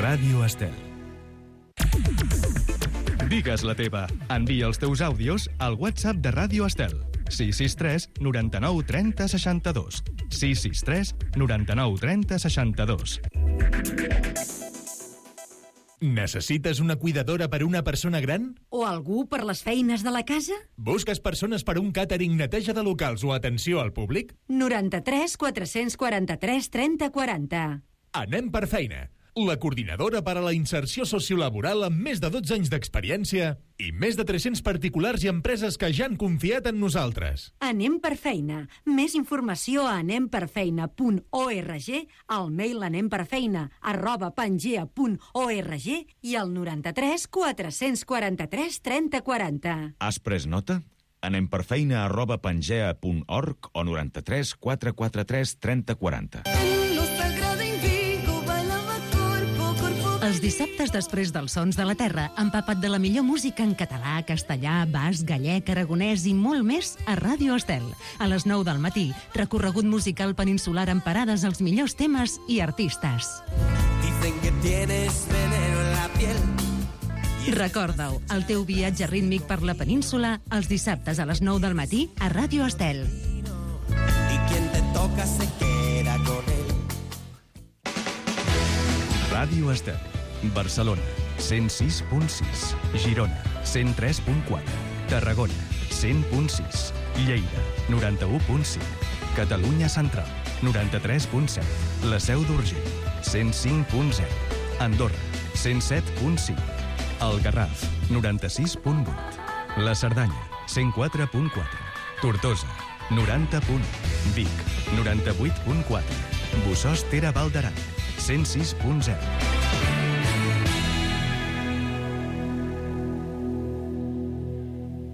Ràdio Estel. Digues la teva. Envia els teus àudios al WhatsApp de Ràdio Estel. 663 99 30 62. 663 99 30 62. Necessites una cuidadora per una persona gran? O algú per les feines de la casa? Busques persones per un càtering, neteja de locals o atenció al públic? 93 443 30 40. Anem per feina. La coordinadora per a la inserció sociolaboral amb més de 12 anys d'experiència i més de 300 particulars i empreses que ja han confiat en nosaltres. Anem per feina. Més informació a anemperfeina.org, al mail anemperfeina@pangea.org i al 93 443 30 40. Has pres nota? anemperfeina@pangea.org o 93 443 30 40. Els dissabtes després dels Sons de la Terra, empapat de la millor música en català, castellà, basc, gallec, aragonès i molt més a Ràdio Estel. A les 9 del matí, recorregut musical peninsular amb parades als millors temes i artistes. Dicen que tienes veneno en la piel. Recorda-ho, el teu viatge rítmic per la península els dissabtes a les 9 del matí a Ràdio Estel. Y quien te toca se queda con él. Ràdio Estel. Barcelona, 106.6. Girona, 103.4. Tarragona, 100.6. Lleida, 91.5. Catalunya Central, 93.7. La Seu d'Urgell, 105.0. Andorra, 107.5. El Garraf, 96.8. La Cerdanya, 104.4. Tortosa, 90.1. Vic, 98.4. Bossòst Tere Val d'Aran, 106.0.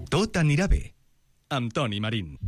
Tot anirà bé, amb Toni Marín.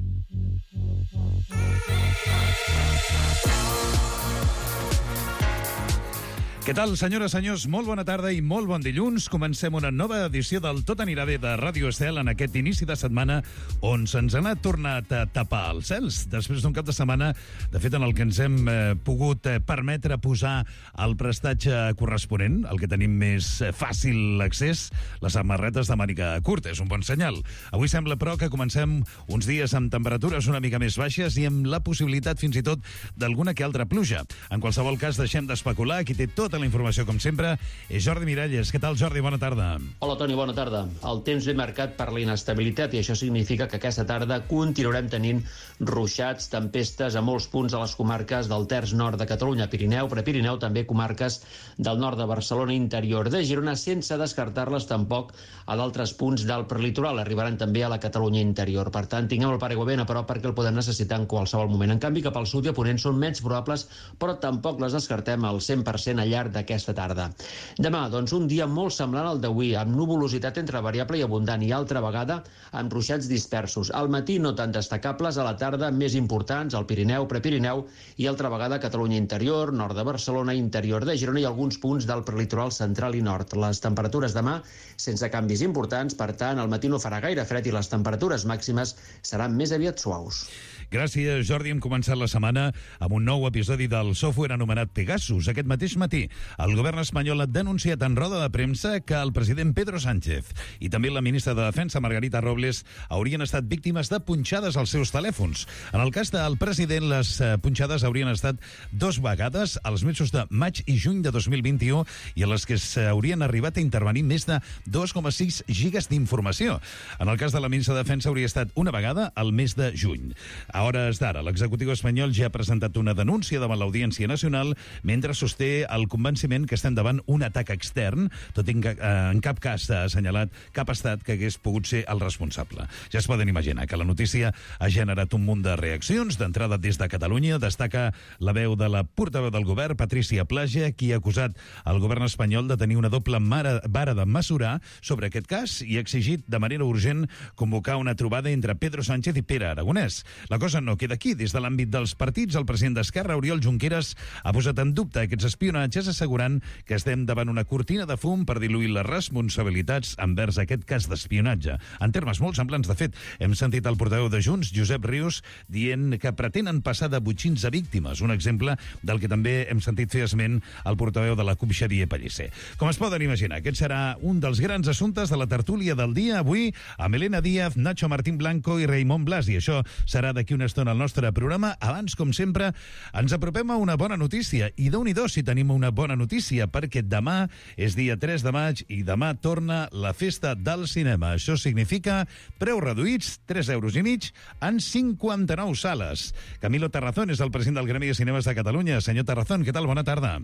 Què tal, senyores, senyors? Molt bona tarda i molt bon dilluns. Comencem una nova edició del Tot anirà bé de Ràdio Estel en aquest inici de setmana on se'ns ha tornat a tapar els cels després d'un cap de setmana, de fet, en el que ens hem pogut permetre posar el prestatge corresponent, el que tenim més fàcil accés, les samarretes de màniga curta. És un bon senyal. Avui sembla, però, que comencem uns dies amb temperatures una mica més baixes i amb la possibilitat, fins i tot, d'alguna que altra pluja. En qualsevol cas, deixem d'especular. Qui té tota la informació, com sempre, és Jordi Miralles. Què tal, Jordi? Bona tarda. Hola, Toni, bona tarda. El temps ve marcat per la inestabilitat i això significa que aquesta tarda continuarem tenint ruixats, tempestes a molts punts de les comarques del terç nord de Catalunya, Pirineu, Prepirineu, també comarques del nord de Barcelona, interior de Girona, sense descartar-les tampoc a d'altres punts del prelitoral. Arribaran també a la Catalunya interior. Per tant, tinguem el paraigua ben a prop perquè el podem necessitar en qualsevol moment. En canvi, cap al sud i a ponent són menys probables, però tampoc les descartem al 100% al llarg d'aquesta tarda. Demà, doncs, un dia molt semblant al d'avui, amb nuvolositat entre variable i abundant i altra vegada amb ruixats dispersos. Al matí no tan destacables, a la tarda més importants al Pirineu, Prepirineu i altra vegada Catalunya interior, nord de Barcelona, interior de Girona i alguns punts del prelitoral central i nord. Les temperatures demà sense canvis importants, per tant, al matí no farà gaire fred i les temperatures màximes seran més aviat suaus. Gràcies, Jordi. Hem començat la setmana amb un nou episodi del software anomenat Pegasus. Aquest mateix matí, el govern espanyol ha denunciat en roda de premsa que el president Pedro Sánchez i també la ministra de Defensa, Margarita Robles, haurien estat víctimes de punxades als seus telèfons. En el cas del president, les punxades haurien estat 2 vegades als mesos de maig i juny de 2021 i a les que s'haurien arribat a intervenir més de 2,6 gigas d'informació. En el cas de la ministra de Defensa hauria estat una vegada al mes de juny. A hores d'ara, l'executiu espanyol ja ha presentat una denúncia davant l'Audiència Nacional mentre sosté el convenciment que estem davant un atac extern, tot i que en cap cas s'ha assenyalat cap estat que hagués pogut ser el responsable. Ja es poden imaginar que la notícia ha generat un munt de reaccions. D'entrada, des de Catalunya, destaca la veu de la portaveu del govern, Patricia Plaja, qui ha acusat el govern espanyol de tenir una doble vara de mesurar sobre aquest cas i ha exigit de manera urgent convocar una trobada entre Pedro Sánchez i Pere Aragonès. La cosa cosa no queda aquí. Des de l'àmbit dels partits, el president d'Esquerra, Oriol Junqueras, ha posat en dubte aquests espionatges, assegurant que estem davant una cortina de fum per diluir les responsabilitats envers aquest cas d'espionatge. En termes molt semblants, de fet, hem sentit el portaveu de Junts, Josep Rius, dient que pretenen passar de botxins a víctimes, un exemple del que també hem sentit fer esment el portaveu de la CUP, Xavier Pellicer. Com es poden imaginar, aquest serà un dels grans assumptes de la tertúlia del dia avui amb Elena Díaz, Nacho Martín Blanco i Raimon Blas, i això serà d'aquí una estona al nostre programa. Abans, com sempre, ens apropem a una bona notícia, i Déu-n'hi-do si tenim una bona notícia, perquè demà és dia 3 de maig i demà torna la festa del cinema. Això significa preus reduïts, 3,5 euros en 59 sales. Camilo Terrazón és el president del Gremi de Cinemes de Catalunya. Senyor Terrazón, què tal? Bona tarda.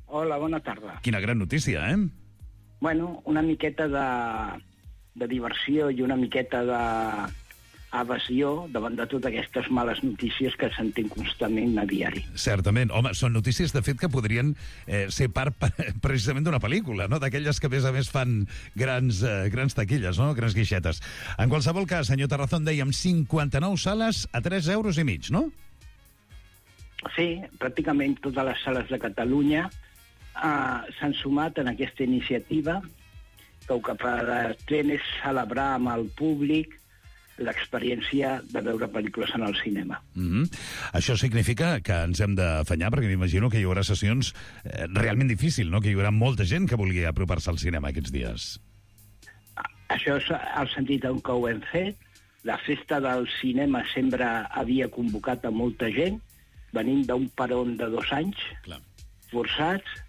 Hola, bona tarda. Quina gran notícia, eh? Bueno, una miqueta de diversió i una miqueta d'evasió davant de totes aquestes males notícies que sentim constantment a diari. Certament. Home, són notícies, de fet, que podrien ser part precisament d'una pel·lícula, no? D'aquelles que, a més, fan grans taquilles, no? Grans guixetes. En qualsevol cas, senyor Terrazón, dèiem 59 sales a 3,5 euros, no? Sí, pràcticament totes les sales de Catalunya s'han sumat en aquesta iniciativa, que el que pretén és celebrar amb el públic l'experiència de veure pel·lícules en el cinema. Això significa que ens hem d'afanyar, perquè m'imagino que hi haurà sessions realment difícils, no? Que hi haurà molta gent que vulgui apropar-se al cinema aquests dies. Això és el sentit en què ho hem fet. La festa del cinema sempre havia convocat a molta gent, venint d'un peron de 2 anys, forçats,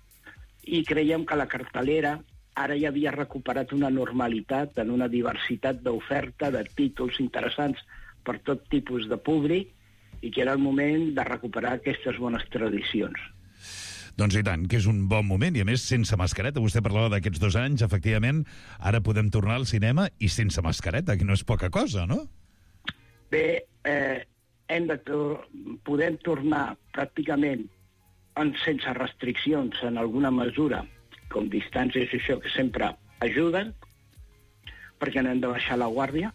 i creiem que la cartelera ara ja havia recuperat una normalitat en una diversitat d'oferta, de títols interessants per tot tipus de públic, i que era el moment de recuperar aquestes bones tradicions. Doncs i tant, que és un bon moment, i a més sense mascareta. Vostè parlava d'aquests 2 anys, efectivament, ara podem tornar al cinema i sense mascareta, que no és poca cosa, no? Bé, podem tornar pràcticament sense restriccions en alguna mesura, com distàncies i això, que sempre ajuden, perquè no hem de baixar la guàrdia.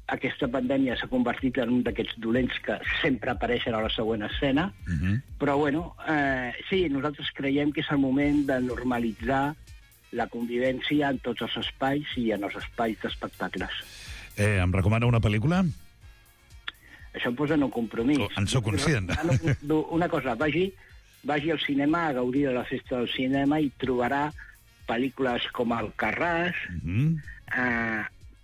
Aquesta pandèmia s'ha convertit en un d'aquests dolents que sempre apareixen a la següent escena, però bueno, sí, nosaltres creiem que és el moment de normalitzar la convivència en tots els espais i en els espais d'espectacles. Em recomana una pel·lícula? Això em posa en un compromís. En soc conscient. Una cosa, vagi al cinema a gaudir de la festa del cinema i trobarà pel·lícules com Alcarràs,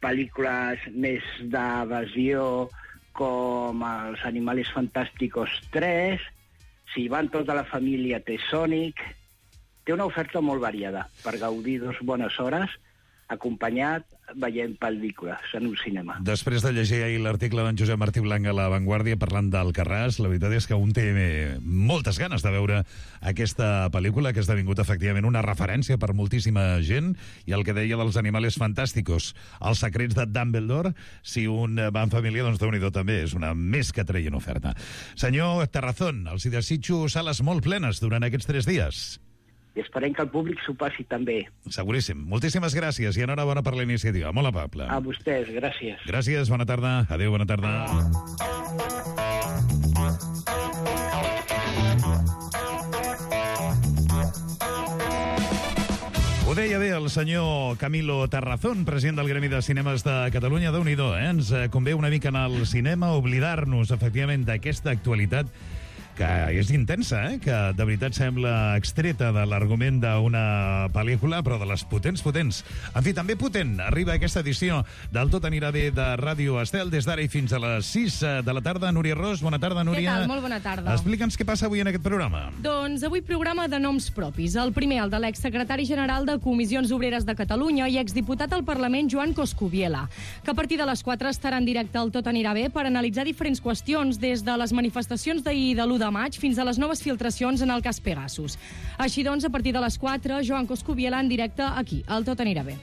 pel·lícules més d'evasió com Els Animales Fantásticos 3, si van tota la família té Sonic. Té una oferta molt variada per gaudir 2 bones hores acompanyat veient pel·lícules en un cinema. Després de llegir ahir l'article d'en Josep Martí Blanc a La Vanguardia parlant d'Alcarràs, la veritat és que un té moltes ganes de veure aquesta pel·lícula, que ha esdevingut efectivament una referència per moltíssima gent, i el que deia dels Animales Fantásticos, Els secrets de Dumbledore, si un va en família, doncs Déu-n'hi-do també, és una més que traient oferta. Senyor Terrazón, els hi desitjo sales molt plenes durant aquests 3 dies. I esperem que el públic s'ho passi també. Seguríssim. Moltíssimes gràcies i enhorabona per la iniciativa. Molt amable. A vostès, gràcies. Gràcies, bona tarda. Adéu, bona tarda. Ho deia bé el senyor Camilo Terrazón, president del Gremi de Cinemes de Catalunya. Déu-n'hi-do, Ens convé una mica anar al cinema, oblidar-nos, efectivament, d'aquesta actualitat que és intensa, que de veritat sembla extreta de l'argument d'una pel·lícula, però de les potents. En fi, també potent arriba aquesta edició del Tot anirà bé de Ràdio Estel, des d'ara i fins a les 6 de la tarda. Núria Ros, bona tarda, Núria. Què tal? Molt bona tarda. Explica'ns què passa avui en aquest programa. Doncs avui programa de noms propis. El primer, el de l'exsecretari general de Comissions Obreres de Catalunya i exdiputat al Parlament, Joan Coscubiela, que a partir de les 4 estarà en directe al Tot anirà bé per analitzar diferents qüestions, des de les manifestacions d'ahir de l'1 de maig fins a les noves filtracions en el cas Pegasus. Així doncs, a partir de les 4, Joan Coscubiela en directe aquí, al Tot anirà bé.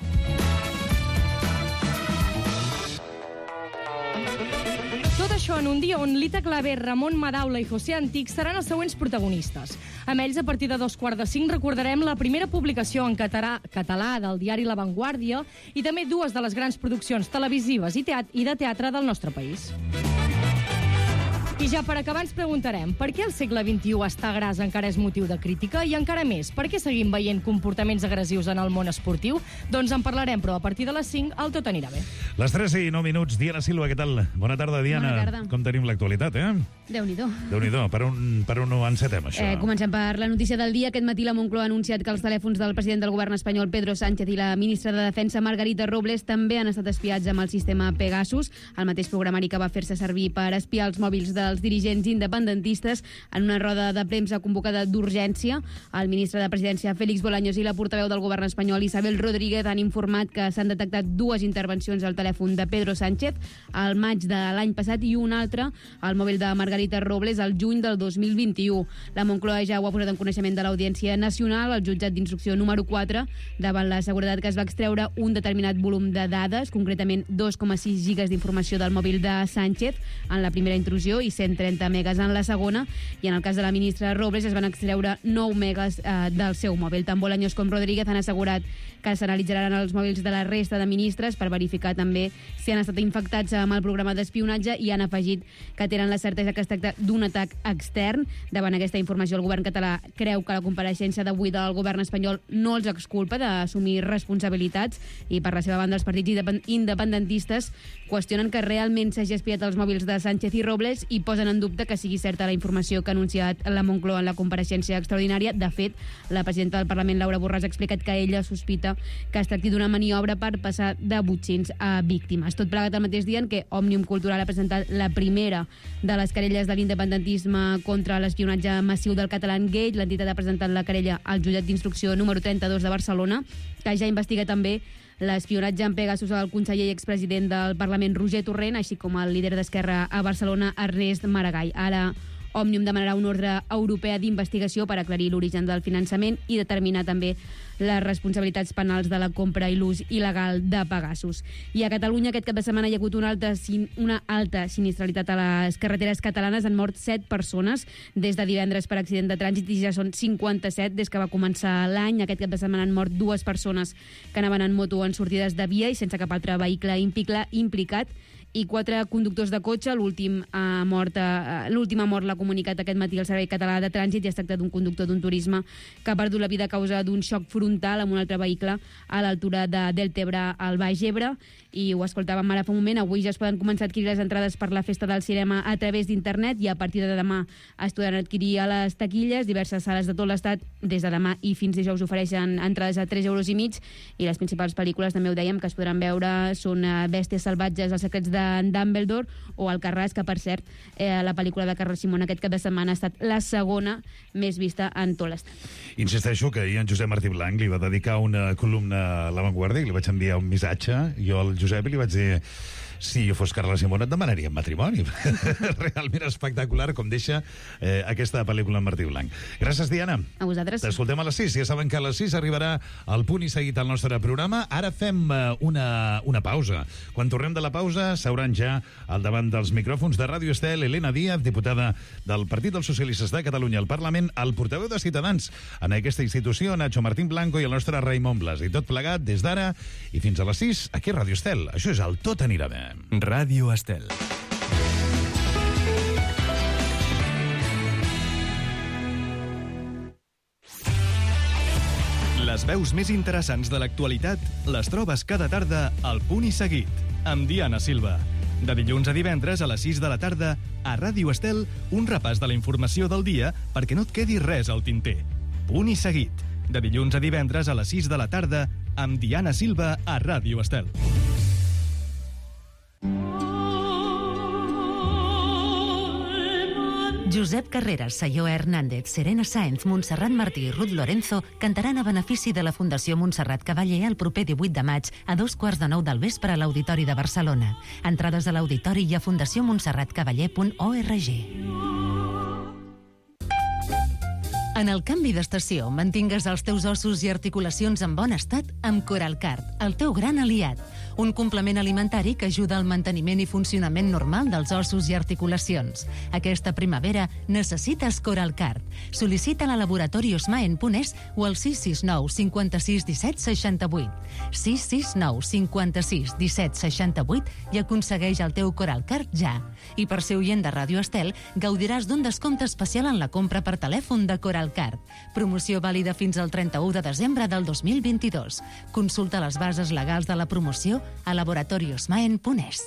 Tot això en un dia on Lita Claver, Ramon Madaula i José Antic seran els següents protagonistes. Amb ells, a partir de 2:45, recordarem la primera publicació en català del diari La Vanguardia i també 2 de les grans produccions televisives i de teatre del nostre país. I ja per acabar ens preguntarem per què el segle XXI estar gras encara és motiu de crítica i encara més, per què seguim veient comportaments agressius en el món esportiu? Doncs en parlarem, però a partir de les 5 el Tot anirà bé. Les 3:09, Diana Silva, què tal? Bona tarda, Diana. Bona tarda. Com tenim l'actualitat, Déu-n'hi-do. Déu-n'hi-do. Per on ho encetem, això? Comencem per la notícia del dia. Aquest matí la Moncloa ha anunciat que els telèfons del president del govern espanyol, Pedro Sánchez, i la ministra de Defensa, Margarita Robles, també han estat espiats amb el sistema Pegasus, el mateix programari que va fer-se servir per espiar els mòbils dels dirigents independentistes. En una roda de premsa convocada d'urgència, el ministre de Presidència, Félix Bolaños, i la portaveu del govern espanyol, Isabel Rodríguez, han informat que s'han detectat 2 intervencions al telèfon de Pedro Sánchez al maig de l'any passat i una altra al mòbil de Margarita Robles al juny del 2021. La Moncloa ja ho ha posat en coneixement de l'Audiència Nacional, el jutjat d'instrucció número 4, davant la seguretat que es va extreure un determinat volum de dades, concretament 2,6 gigas d'informació del mòbil de Sánchez en la primera intrusió i 130 megas en la segona, i en el cas de la ministra Robles es van extreure 9 megas del seu mòbil. Tant Bolaños com Rodríguez han assegurat que s'analitzaran els mòbils de la resta de ministres per verificar també si han estat infectats amb el programa d'espionatge, i han afegit que tenen la certesa que es tracta d'un atac extern. Davant aquesta informació, el govern català creu que la compareixença d'avui del govern espanyol no els exculpa d'assumir responsabilitats, i per la seva banda els partits independentistes qüestionen que realment s'hagi espiat els mòbils de Sánchez i Robles i posen en dubte que sigui certa la informació que ha anunciat la Moncloa en la compareixença extraordinària. De fet, la presidenta del Parlament, Laura Borràs, ha explicat que ella sospita que es tracti d'una maniobra per passar de botxins a víctimes. Tot plegat al mateix dia en què Òmnium Cultural ha presentat la primera de les querelles de l'independentisme contra l'espionatge massiu del Catalangate. L'entitat ha presentat la querella al jutjat d'instrucció número 32 de Barcelona, que ja investiga també l'espionatge en Pegasus al conseller i expresident del Parlament, Roger Torrent, així com el líder d'Esquerra a Barcelona, Ernest Maragall. Ara Òmnium demanarà una ordre europea d'investigació per aclarir l'origen del finançament i determinar també les responsabilitats penals de la compra i l'ús il·legal de Pegasus. I a Catalunya aquest cap de setmana hi ha hagut una alta sinistralitat a les carreteres catalanes. Han mort 7 persones des de divendres per accident de trànsit i ja són 57 des que va començar l'any. Aquest cap de setmana han mort 2 persones que anaven en moto en sortides de via i sense cap altre vehicle implicat, i 4 conductors de cotxe. L'última mort l'ha comunicat aquest matí el Servei Català de Trànsit, i es tracta d'un conductor d'un turisme que ha perdut la vida a causa d'un xoc frontal amb un altre vehicle a l'altura de Deltebre, al Baix Ebre. I ho escoltàvem ara fa un moment. Avui ja es poden començar a adquirir les entrades per la Festa del Cinema a través d'internet, i a partir de demà es podran adquirir a les taquilles. Diverses sales de tot l'estat des de demà i fins dijous ofereixen entrades a 3,5 €, i les principals pel·lícules, també ho dèiem, que es podran veure són Bèsties salvatges, Els secrets de Dumbledore o Alcarràs, que per cert la pel·lícula de Carles Simón aquest cap de setmana ha estat la segona més vista en tot l'estat. Insisteixo que ahir en Josep Martí Blanc li va dedicar una columna a La Vanguardia i li vaig enviar un missatge, jo al Josep, i li vaig dir: si jo fos Carles Simón et demanaria matrimoni. Realment espectacular com deixa aquesta pel·lícula en Martí Blanc. Gràcies, Diana. A vosaltres. T'escoltem a les 6. Ja saben que a les 6 arribarà el punt i seguit al nostre programa. Ara fem una pausa. Quan tornem de la pausa s'hauran ja al davant dels micròfons de Ràdio Estel Elena Díaz, diputada del Partit dels Socialistes de Catalunya al Parlament, el portaveu de Ciutadans en aquesta institució, Nacho Martín Blanco, i el nostre Raimon Blas. I tot plegat des d'ara i fins a les 6 aquí a Ràdio Estel. Això és el Tot anirà bé. Ràdio Estel. Les veus més interessants de l'actualitat les trobes cada tarda al Punt i Seguit, amb Diana Silva. De dilluns a divendres a les 6 de la tarda, a Ràdio Estel, un repàs de la informació del dia perquè no et quedi res al tinter. Punt i Seguit, de dilluns a divendres a les 6 de la tarda, amb Diana Silva a Ràdio Estel. Josep Carreras, Sayó Hernández, Serena Sáenz, Montserrat Martí i Ruth Lorenzo cantaran a benefici de la Fundació Montserrat Cavaller el proper 18 de maig a 2:15 del vespre a l'Auditori de Barcelona. Entrades a l'Auditori i a fundacionmontserratcavaller.org. En el canvi d'estació, mantingues els teus ossos i articulacions en bon estat amb Coralcart, el teu gran aliat. un complement alimentari que ajuda al manteniment i funcionament normal dels ossos i articulacions. Aquesta primavera necessites Coralcard. Sol·licita-la a Laboratori Osmaen.es o al 669 56 17 68. 669 56 17 68 i aconsegueix el teu Coralcard ja. I per ser oient de Ràdio Estel, gaudiràs d'un descompte especial en la compra per telèfon de Coralcard. Promoció vàlida fins al 31 de desembre del 2022. Consulta les bases legals de la promoció a laboratoriosmaen.es.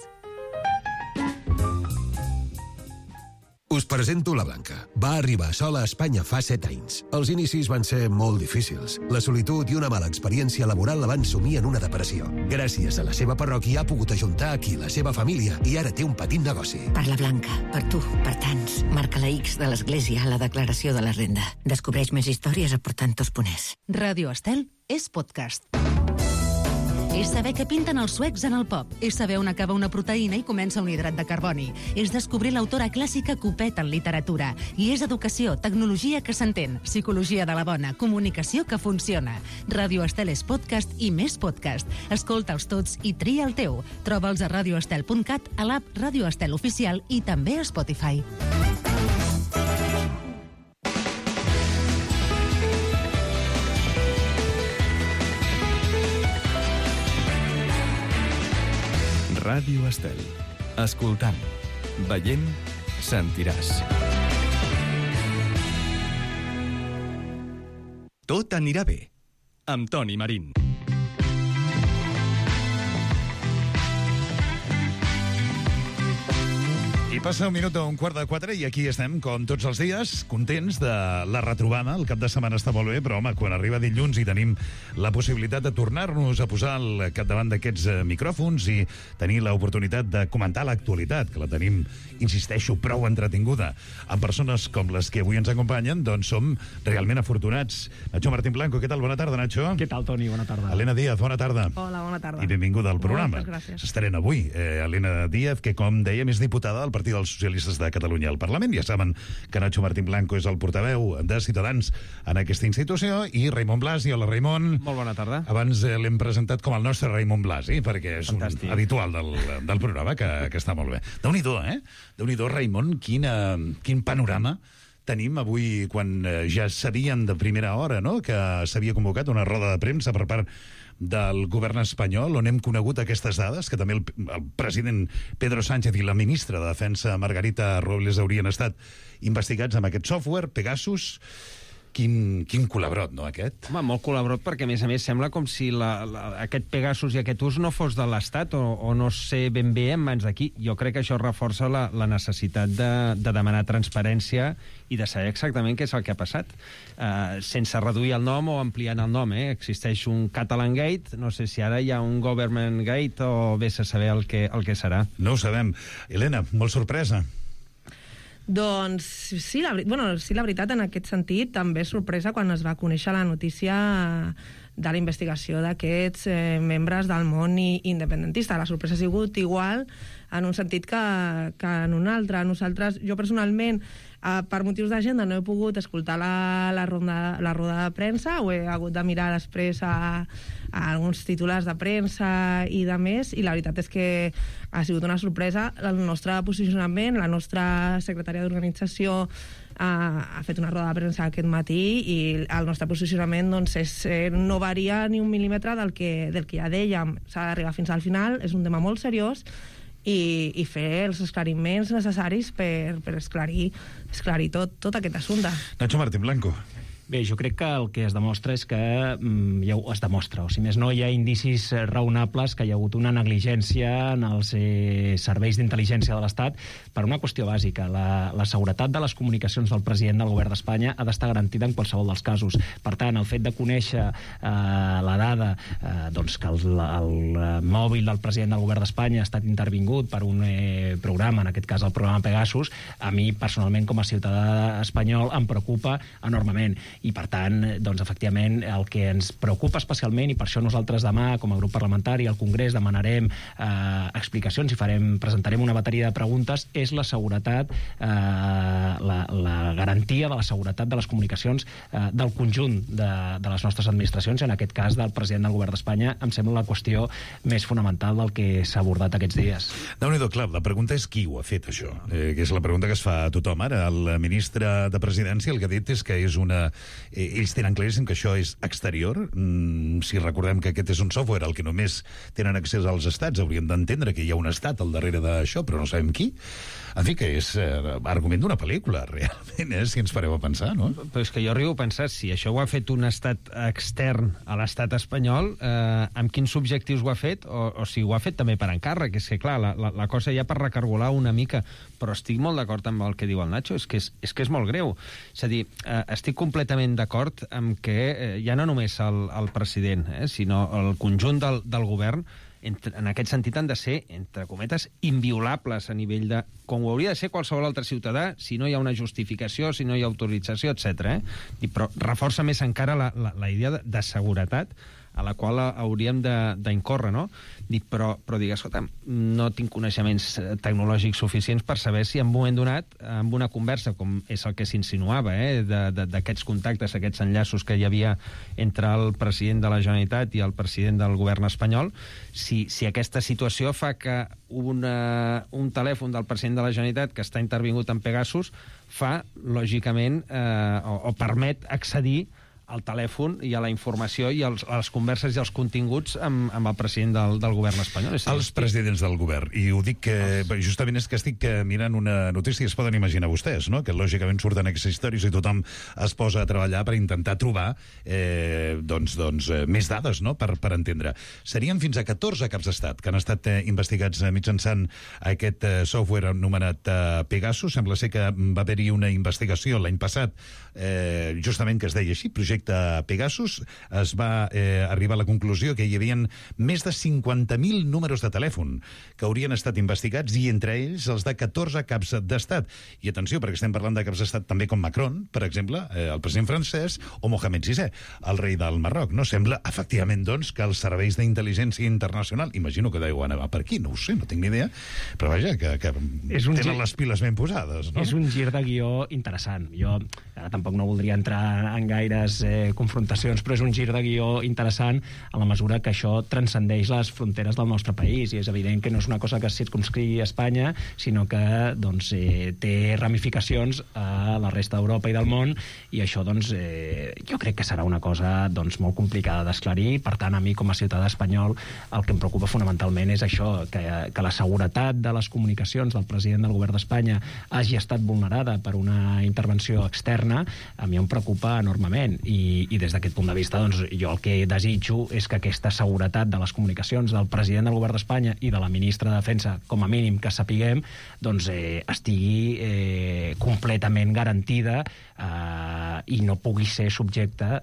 Us presento la Blanca. Va arribar sola a Espanya fa 7 anys. Els inicis van ser molt difícils. La solitud i una mala experiència laboral la van sumir en una depressió. Gràcies a la seva parròquia ha pogut ajuntar aquí la seva família i ara té un petit negoci. Per la Blanca, per tu, per tants. Marca la X de l'Església a la declaració de la renda. Descobreix més històries a portantos.es. Ràdio Estel és podcast. És saber què pinten els suecs en el pop. És saber on acaba una proteïna i comença un hidrat de carboni. És descobrir l'autora clàssica Copet en literatura. I és educació, tecnologia que s'entén, psicologia de la bona, comunicació que funciona. Ràdio Estel és podcast i més podcast. Escolta'ls tots i tria el teu. Troba'ls a radioestel.cat, a l'app Ràdio Estel Oficial i també a Spotify. Ràdio Estel. Escoltant, veient, sentiràs. Tot anirà bé. Amb Toni Marín. I passa un minut a 3:15 i aquí estem, com tots els dies, contents de la retrobada. El cap de setmana està molt bé, però, home, quan arriba dilluns i tenim la possibilitat de tornar-nos a posar al capdavant d'aquests micròfons i tenir l'oportunitat de comentar l'actualitat, que la tenim, insisteixo, prou entretinguda, amb persones com les que avui ens acompanyen, doncs som realment afortunats. Nacho Martín Blanco, què tal? Bona tarda, Nacho. Què tal, Toni? Bona tarda. Elena Díaz, bona tarda. Hola, bona tarda. I benvinguda al programa. Moltes gràcies. S'estrena avui Elena Díaz, que, com dèiem, és diputada del Partit dels Socialistes de Catalunya al Parlament. Ja saben que Nacho Martín Blanco és el portaveu de Ciutadans en aquesta institució, i Raimon Blasi. Hola, Raimon. Molt bona tarda. Abans l'hem presentat com el nostre Raimon Blasi, perquè és Fantàstic. Un habitual del programa, que està molt bé. Déu-n'hi-do, Déu-n'hi-do, Raimon, quin panorama tenim avui, quan ja sabien de primera hora, no?, que s'havia convocat una roda de premsa per part del govern espanyol, on hem conegut aquestes dades, que també el president Pedro Sánchez i la ministra de Defensa Margarita Robles haurien estat investigats amb aquest software, Pegasus. Quin colabrot, no, aquest? Home, molt colabrot, perquè, a més, sembla com si aquest Pegasus i aquest ús no fos de l'Estat, o no sé ben bé en mans d'aquí. Jo crec que això reforça la necessitat de demanar transparència i de saber exactament què és el que ha passat. Sense reduir el nom o ampliant el nom, Existeix un Catalan Gate, no sé si ara hi ha un Government Gate o vés a saber el que serà. No ho sabem. Helena, molt sorpresa. Doncs sí, la veritat, en aquest sentit, també és sorpresa quan es va conèixer la notícia de la investigació d'aquests membres del món independentista. La sorpresa ha sigut igual en un sentit que en un altre. Jo personalment, per motius d'agenda, no he pogut escoltar la roda de premsa, ho he hagut de mirar després a alguns titulars de premsa i de més, i la veritat és que ha sigut una sorpresa. El nostre posicionament, la nostra secretària d'organització ha fet una roda de premsa aquest matí i el nostre posicionament no varia ni un mil·límetre del que ja dèiem. S'ha d'arribar fins al final, és un tema molt seriós, i fer els esclariments necessaris per esclarir tot aquest assumpte. Nacho Martín Blanco. Bé, jo crec que el que es demostra és que es demostra, o si més no, hi ha indicis raonables que hi ha hagut una negligència en els serveis d'intel·ligència de l'Estat per una qüestió bàsica. La seguretat de les comunicacions del president del govern d'Espanya ha d'estar garantida en qualsevol dels casos. Per tant, el fet de conèixer la dada que el mòbil del president del govern d'Espanya ha estat intervingut per un programa, en aquest cas el programa Pegasus, a mi personalment com a ciutadà espanyol em preocupa enormement. I, per tant, doncs, efectivament, el que ens preocupa especialment, i per això nosaltres demà, com a grup parlamentari, al Congrés demanarem explicacions i presentarem una bateria de preguntes, és la seguretat, la garantia de la seguretat de les comunicacions del conjunt de les nostres administracions, i en aquest cas del president del govern d'Espanya, em sembla la qüestió més fonamental del que s'ha abordat aquests dies. Déu-n'hi-do, clar, la pregunta és qui ho ha fet, això, que és la pregunta que es fa a tothom. Ara, el ministre de Presidència el que ha dit és que és una... Ells tenen claríssim que això és exterior. Si recordem que aquest és un software al que només tenen accés als estats, hauríem d'entendre que hi ha un estat al darrere d'això, però no sabem qui. En fi, que és argument d'una pel·lícula, realment, si ens fareu a pensar, no? Però és que jo arribo a pensar, si això ho ha fet un estat extern a l'estat espanyol, amb quins objectius ho ha fet, o si ho ha fet també per encàrrec. És que, clar, la cosa ja per recargolar una mica, però estic molt d'acord amb el que diu el Nacho, és que és molt greu. És a dir, estic completament d'acord amb que ja no només el president, sinó el conjunt del govern, en aquest sentit han de ser, entre cometes, inviolables a nivell de... com ho hauria de ser qualsevol altre ciutadà, si no hi ha una justificació, si no hi ha autorització, etc. Però reforça més encara la idea de seguretat a la qual hauríem d'incórrer, no? Però digues, escolta, no tinc coneixements tecnològics suficients per saber si en un moment donat, amb una conversa, com és el que s'insinuava, d'aquests contactes, aquests enllaços que hi havia entre el president de la Generalitat i el president del govern espanyol, si aquesta situació fa que un telèfon del president de la Generalitat que està intervingut en Pegasus fa, lògicament, o permet accedir al telèfon i a la informació i a les converses i els continguts amb el president del govern espanyol. Els presidents del govern. I ho dic que justament és que estic mirant una notícia que es poden imaginar vostès, no? Que lògicament surten aquestes històries i tothom es posa a treballar per intentar trobar més dades, no? Per entendre. Serien fins a 14 caps d'estat que han estat investigats mitjançant aquest software anomenat Pegasus. Sembla ser que va haver-hi una investigació l'any passat justament que es deia així, projecte Pegasus. Es va arribar a la conclusió que hi havia més de 50.000 números de telèfon que haurien estat investigats, i entre ells els de 14 caps d'estat. I atenció, perquè estem parlant de caps d'estat també com Macron, per exemple, el president francès, o Mohamed VI, el rei del Marroc. No sembla, efectivament, doncs, que els serveis d'intel·ligència internacional, imagino que deuen anar per aquí, no ho sé, no tinc ni idea, però vaja, que tenen les piles ben posades, no? És un gir de guió interessant. Jo ara tampoc no voldria entrar en gaires confrontacions, però és un gir de guió interessant a la mesura que això transcendeix les fronteres del nostre país, i és evident que no és una cosa que es circumscrigui a Espanya, sinó que té ramificacions a la resta d'Europa i del món, i això jo crec que serà una cosa molt complicada d'esclarir. Per tant, a mi com a ciutadà espanyol el que em preocupa fonamentalment és això, que la seguretat de les comunicacions del president del govern d'Espanya hagi estat vulnerada per una intervenció externa. A mi em preocupa enormement, i des d'aquest punt de vista jo el que desitjo és que aquesta seguretat de les comunicacions del president del govern d'Espanya i de la ministra de Defensa, com a mínim que sapiguem, estigui completament garantida i no pugui ser objecte,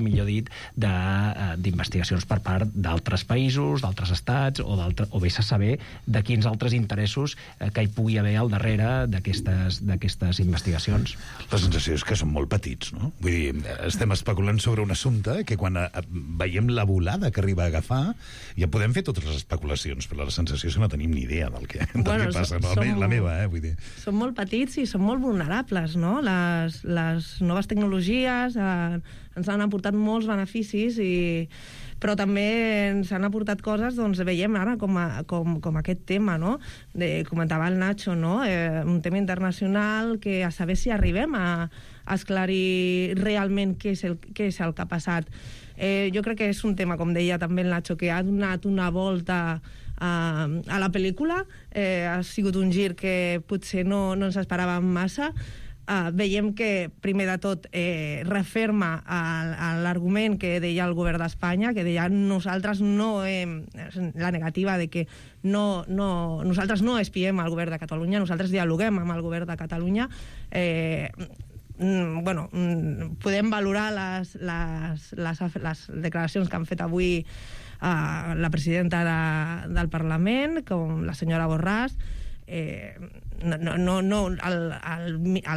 millor dit, d'investigacions per part d'altres països, d'altres estats, o vés a saber de quins altres interessos que hi pugui haver al darrere d'aquestes investigacions. La sensació és que són molt petits, no? Vull dir, estem especulant sobre un assumpte que quan veiem la volada que arriba a agafar ja podem fer totes les especulacions, però la sensació és que no tenim ni idea del que passa. La meva, vull dir. Són molt petits i són molt vulnerables, no? Les noves tecnologies ens han aportat molts beneficis, però també ens han aportat coses, veiem ara com aquest tema, no? Comentava el Nacho, no? Un tema internacional que a saber si arribem a esclarir realment què és el que ha passat. Jo crec que és un tema, com deia també el Nacho, que ha donat una volta a la pel·lícula. Ha sigut un gir que potser no ens esperàvem massa. Veiem que, primer de tot, referma l'argument que deia el govern d'Espanya, que deia nosaltres la negativa de que nosaltres no espiem al govern de Catalunya, nosaltres dialoguem amb el govern de Catalunya. Podem valorar les declaracions que han fet avui la presidenta del Parlament, com la senyora Borràs, el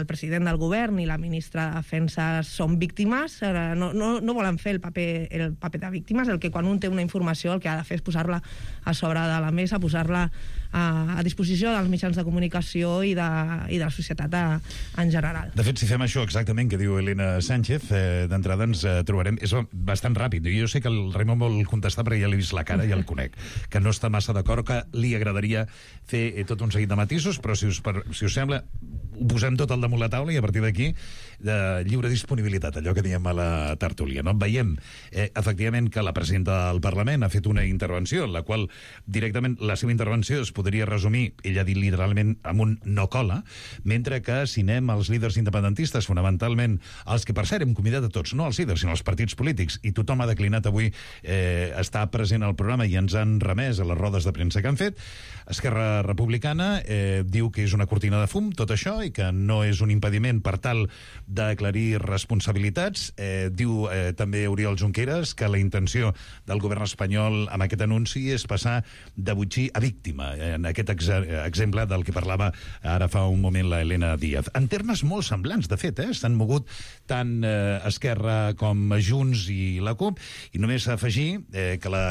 president del govern i la ministra de Defensa són víctimes, no volen fer el paper de víctimes, el que quan un té una informació el que ha de fer és posar-la a sobre de la mesa, posar-la a disposició dels mitjans de comunicació i de la societat en general. De fet, si fem això exactament que diu Elena Sánchez, d'entrada ens trobarem... És bastant ràpid. Jo sé que el Raimon vol contestar perquè ja l'he vist la cara, ja el conec, que no està massa d'acord, que li agradaria fer tot un seguit de matisos, però si us sembla, ho posem tot al damunt la taula i a partir d'aquí de lliure disponibilitat, allò que diem a la tertúlia. No? Veiem, efectivament, que la presidenta del Parlament ha fet una intervenció en la qual directament la seva intervenció es podria resumir, ella ha dit literalment, amb un no cola, mentre que si anem als líders independentistes, fonamentalment els que per cert hem convidat a tots, no als líders, sinó als partits polítics, i tothom ha declinat avui estar present al programa i ens han remès a les rodes de premsa que han fet. Esquerra Republicana diu que és una cortina de fum, tot això, i que no és un impediment per tal d'aclarir responsabilitats. Diu també Oriol Junqueras que la intenció del govern espanyol amb aquest anunci és passar de botxí a víctima, en aquest exemple del que parlava ara fa un moment la Elena Díaz. En termes molt semblants, de fet, s'han mogut tant Esquerra com Junts i la CUP, i només afegir que la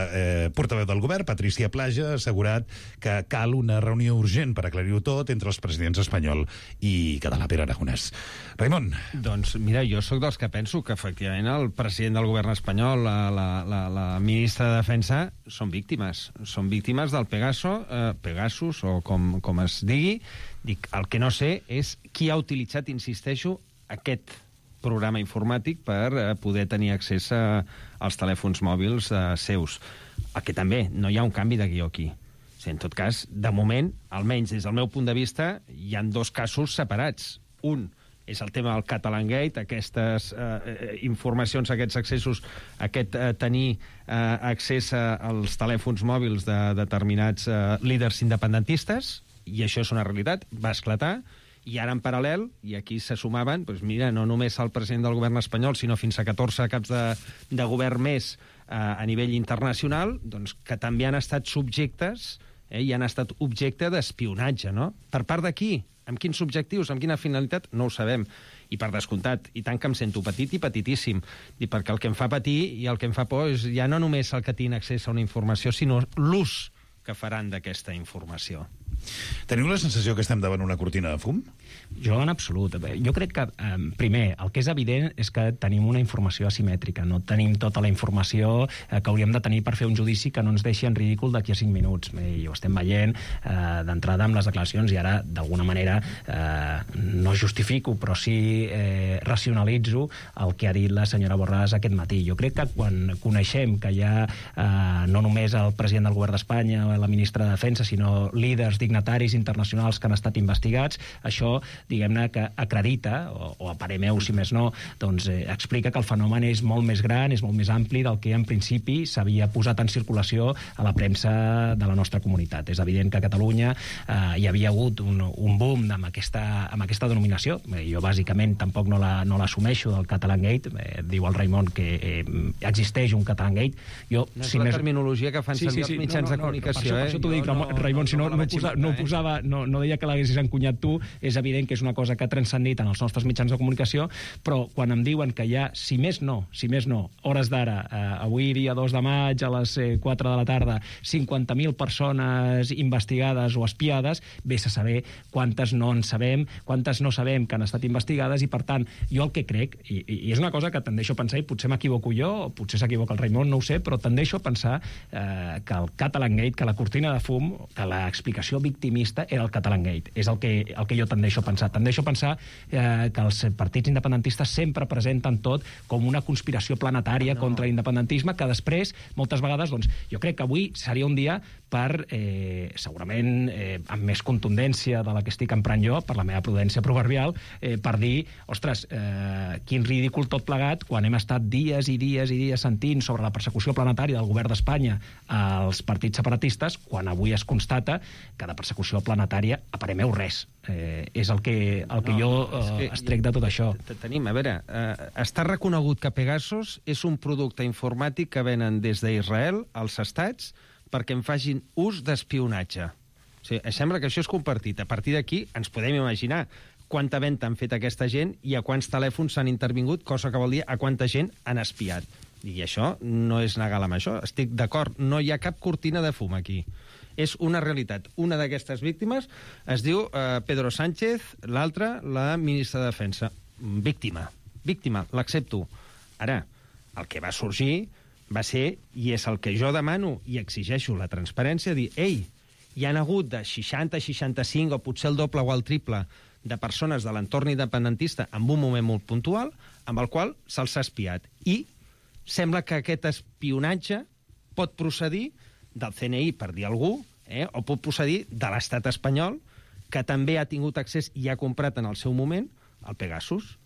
portaveu del govern, Patricia Plaja, ha assegurat que cal una reunió urgent per aclarir-ho tot entre els presidents espanyol i català, Pere Aragonès. Raimon. Doncs mira, jo sóc dels que penso que efectivament el president del govern espanyol, la ministra de Defensa, són víctimes del Pegasus, o com es digui. Dic, el que no sé és qui ha utilitzat, insisteixo, aquest programa informàtic per poder tenir accés als telèfons mòbils seus. El que també, no hi ha un canvi de guió aquí. En tot cas, de moment, almenys des del meu punt de vista, hi han dos casos separats. Un és el tema del Catalangate, aquestes informacions, aquests accessos, aquest tenir accés als telèfons mòbils de determinats líders independentistes, i això és una realitat, va esclatar, i ara en paral·lel, i aquí se sumaven, doncs mira, no només el president del govern espanyol, sinó fins a 14 caps de govern més a nivell internacional, doncs, que també han estat subjectes i han estat objecte d'espionatge, no? Per part de qui? Amb quins objectius? Amb quina finalitat? No ho sabem. I per descomptat, i tant que em sento petit i petitíssim, perquè el que em fa patir i el que em fa por és ja no només el que tinc accés a una informació, sinó l'ús que faran d'aquesta informació. Teniu la sensació que estem davant una cortina de fum? Jo, en absolut. Jo crec que, primer, el que és evident és que tenim una informació asimètrica. No tenim tota la informació que hauríem de tenir per fer un judici que no ens deixi en ridícul d'aquí a 5 minuts. I ho estem veient d'entrada amb les declaracions, i ara, d'alguna manera, no justifico, però sí racionalitzo el que ha dit la senyora Borràs aquest matí. Jo crec que quan coneixem que hi ha no només el president del govern d'Espanya o la ministra de Defensa, sinó líders dignataris internacionals que han estat investigats, això, diguem-ne, que acredita, o a parer meu, si més no, doncs explica que el fenomen és molt més gran, és molt més ampli del que en principi s'havia posat en circulació a la premsa de la nostra comunitat. És evident que a Catalunya hi havia hagut un boom amb aquesta denominació. Jo, bàsicament, tampoc no l'assumeixo del Catalangate. Diu el Raimon que existeix un Catalangate. No és la terminologia que fan servir els mitjans de comunicació. Per això t'ho dic, Raimon, si no deia que l'haguessis encunyat tu, és evident que és una cosa que ha transcendit en els nostres mitjans de comunicació, però quan em diuen que hi ha, si més no, hores d'ara, avui dia 2 de maig a les 4 de la tarda, 50.000 persones investigades o espiades, vés a saber quantes no en sabem, quantes no sabem que han estat investigades, i per tant, jo el que crec, i és una cosa que tendeixo a pensar, i potser m'equivoco jo, o potser s'equivoca el Raimon, no ho sé, però tendeixo a pensar que el Catalangate, que la cortina de fum, que l'explicació victimista era el Catalangate. És el que jo tendeixo a pensar. Tendeixo a pensar que els partits independentistes sempre presenten tot com una conspiració planetària contra l'independentisme, que després, moltes vegades, doncs, jo crec que avui seria un dia per, segurament, amb més contundència de la que estic emprant jo, per la meva prudència proverbial, per dir, ostres, quin ridícul tot plegat, quan hem estat dies i dies i dies sentint sobre la persecució planetària del govern d'Espanya als partits separatistes, quan avui es constata que de persecució planetària, a parer meu, res. És el que jo extrec de tot això. Tenim, a veure, està reconegut que Pegasus és un producte informàtic que venen des d'Israel als estats perquè en facin ús d'espionatge. sigui, sembla que això és compartit. A partir d'aquí ens podem imaginar quanta venda han fet aquesta gent i a quants telèfons s'han intervingut, cosa que vol dir a quanta gent han espiat. I això no és legal amb això. Estic d'acord, no hi ha cap cortina de fum aquí. És una realitat. Una d'aquestes víctimes es diu Pedro Sánchez, l'altra, la ministra de Defensa. Víctima, l'accepto. Ara, el que va sorgir va ser, i és el que jo demano i exigeixo la transparència, dir, ei, hi han hagut de 60, 65 o potser el doble o el triple de persones de l'entorn independentista en un moment molt puntual amb el qual se'ls ha espiat. I sembla que aquest espionatge pot procedir del CNI, per dir algú, o pot procedir de l'estat espanyol, que també ha tingut accés i ha comprat en el seu moment el Pegasus.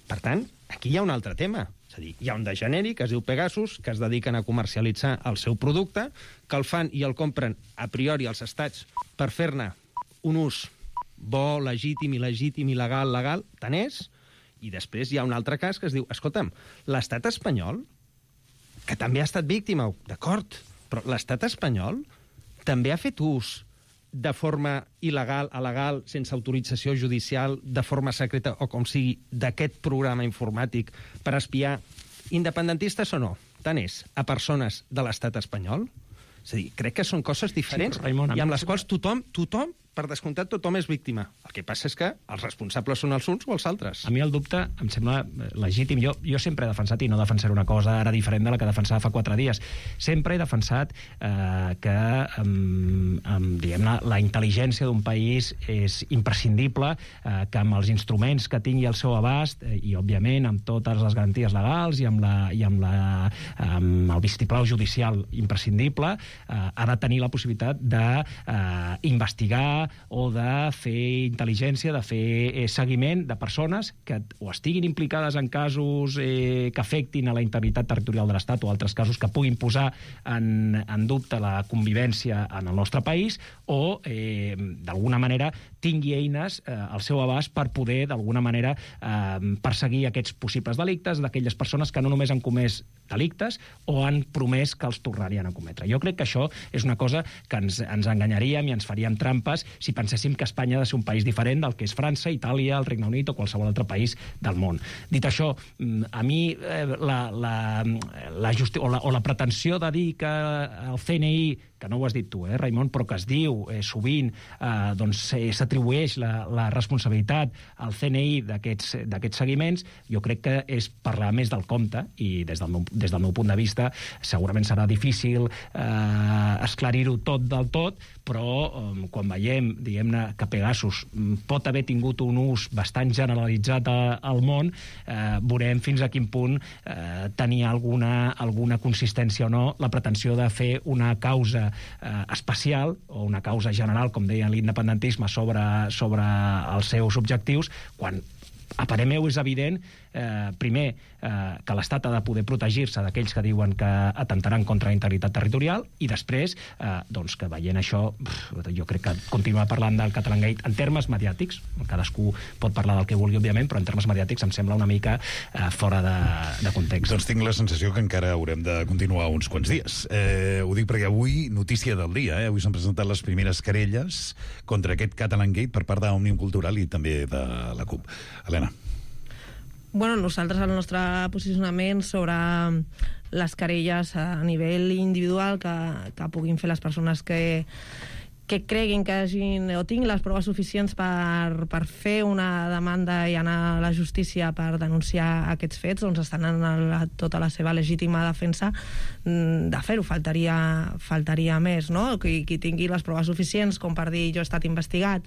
Per tant, aquí hi ha un altre tema. És a dir, hi ha un de genèric, que es diu Pegasus, que es dediquen a comercialitzar el seu producte, que el fan i el compren a priori als estats per fer-ne un ús bo, legítim, il·legítim, il·legal, legal, tant és. I després hi ha un altre cas que es diu, escolta'm, l'estat espanyol, que també ha estat víctima, d'acord, però l'estat espanyol també ha fet ús de forma il·legal, alegal, sense autorització judicial, de forma secreta o com sigui, d'aquest programa informàtic per espiar independentistes o no, tant és, a persones de l'estat espanyol? És a dir, crec que són coses diferents, sí, Raimon, i amb les quals tothom, per descomptat, tothom és víctima. El que passa és que els responsables són els uns o els altres. A mi el dubte em sembla legítim. Jo sempre he defensat, i no defensaré una cosa ara diferent de la que defensava fa 4 dies, sempre he defensat que diguem-ne, la intel·ligència d'un país és imprescindible, que amb els instruments que tingui al seu abast, i òbviament amb totes les garanties legals i amb el vistiplau judicial imprescindible, ha de tenir la possibilitat d'investigar o de fer intel·ligència, de fer seguiment de persones que o estiguin implicades en casos que afectin a la integritat territorial de l'Estat o altres casos que puguin posar en dubte la convivència en el nostre país o, d'alguna manera, tingui eines al seu abast per poder, d'alguna manera, perseguir aquests possibles delictes d'aquelles persones que no només han comès delictes o han promès que els tornarien a cometre. Jo crec que això és una cosa que ens enganyaríem i ens faríem trampes si penséssim que Espanya ha de ser un país diferent del que és França, Itàlia, el Regne Unit o qualsevol altre país del món. Dit això, a mi la pretensió de dir que el CNI, que no ho has dit tu, Raimon, però que es diu sovint, doncs s'atribueix la responsabilitat al CNI d'aquests seguiments, jo crec que és parlar més del compte, i des del meu punt de vista segurament serà difícil esclarir-ho tot del tot, però quan veiem, diguem-ne, que Pegasus pot haver tingut un ús bastant generalitzat al món, veurem fins a quin punt tenia alguna consistència o no la pretensió de fer una causa especial o una causa general, com deia l'independentisme, sobre els seus objectius, quan a parer meu és evident, primer, que l'Estat ha de poder protegir-se d'aquells que diuen que atemptaran contra la integritat territorial, i després, doncs, que veient això, jo crec que continuar parlant del Catalangate en termes mediàtics, cadascú pot parlar del que vulgui, òbviament, però en termes mediàtics em sembla una mica fora de context. Doncs tinc la sensació que encara haurem de continuar uns quants dies. Ho dic perquè avui, notícia del dia, avui s'han presentat les primeres querelles contra aquest Catalangate per part d'Òmnium Cultural i també de la CUP. Helena. Bueno, nosaltres el nostre posicionament sobre les querelles a nivell individual que puguin fer les persones que creguin que hagin o tinguin les proves suficients per fer una demanda i anar a la justícia per denunciar aquests fets, doncs estan en tota la seva legítima defensa de fer-ho. Faltaria més, no? Qui tingui les proves suficients com per dir jo he estat investigat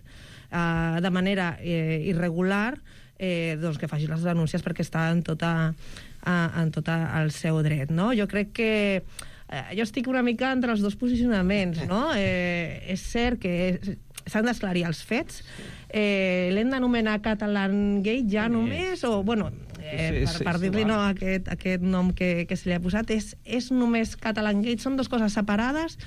de manera irregular, doncs que faci les denúncies perquè està en tot el seu dret, no? Jo crec que jo estic una mica entre els dos posicionaments, no? És cert que s'han d'esclarir els fets. L'hem d'anomenar Catalangate ja només, o, bueno, per dir-li no aquest nom que se li ha posat, és només Catalangate, són dues coses separades.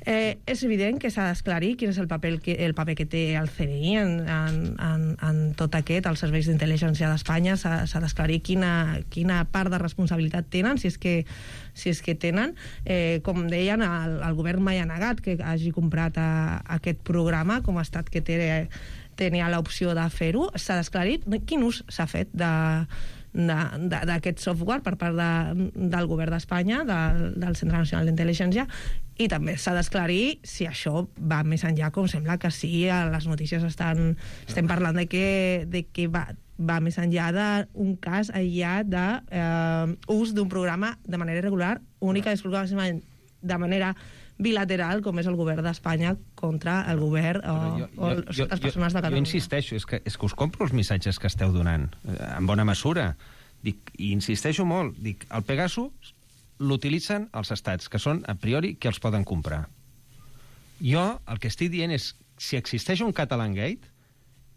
És evident que s'ha d'esclarir quin és el paper que té el CNI en tot aquest, els serveis d'intel·ligència d'Espanya. S'ha d'esclarir quina part de responsabilitat tenen, si és que tenen. Com deien, el govern mai ha negat que hagi comprat aquest programa, com a estat que tenia l'opció de fer-ho. S'ha d'esclarir quin ús s'ha fet d'aquest software per part del govern d'Espanya, del Centre Nacional d'Intel·ligència, i també s'ha d'esclarir si això va més enllà, com sembla que sí, a les notícies estem parlant de que va més enllà d'un cas aïllat d'ús d'un programa de manera irregular, única i exclusivament de manera bilateral, com és el govern d'Espanya contra el govern o les persones de Catalunya. Jo insisteixo, és que us compro els missatges que esteu donant, en bona mesura. I insisteixo molt, el Pegasus l'utilitzen els estats, que són, a priori, que els poden comprar. Jo el que estic dient és, si existeix un Catalangate,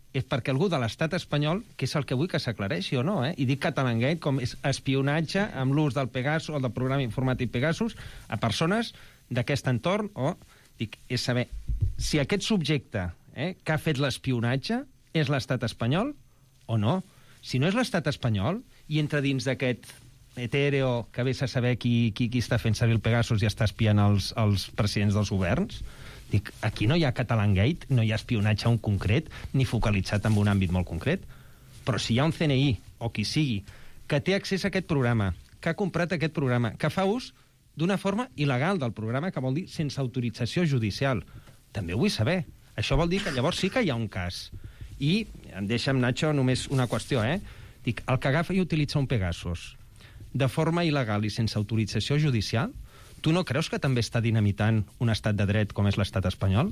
és perquè algú de l'estat espanyol, que és el que vull que s'aclareixi o no, i dic Catalangate com és espionatge amb l'ús del Pegasus o del programa informàtic Pegasus a persones d'aquest entorn, és saber si aquest subjecte que ha fet l'espionatge és l'estat espanyol o no. Si no és l'estat espanyol i entra dins d'aquest etèreo que vés a saber qui està fent servir el Pegasus i està espiant els presidents dels governs, aquí no hi ha Catalangate, no hi ha espionatge a un concret, ni focalitzat en un àmbit molt concret. Però si hi ha un CNI, o qui sigui, que té accés a aquest programa, que ha comprat aquest programa, que fa ús d'una forma il·legal del programa, que vol dir sense autorització judicial, també ho vull saber. Això vol dir que llavors sí que hi ha un cas. I, deixa'm, Nacho, només una qüestió, Dic, el que agafa i utilitza un Pegasus de forma il·legal i sense autorització judicial, tu no creus que també està dinamitant un estat de dret com és l'estat espanyol?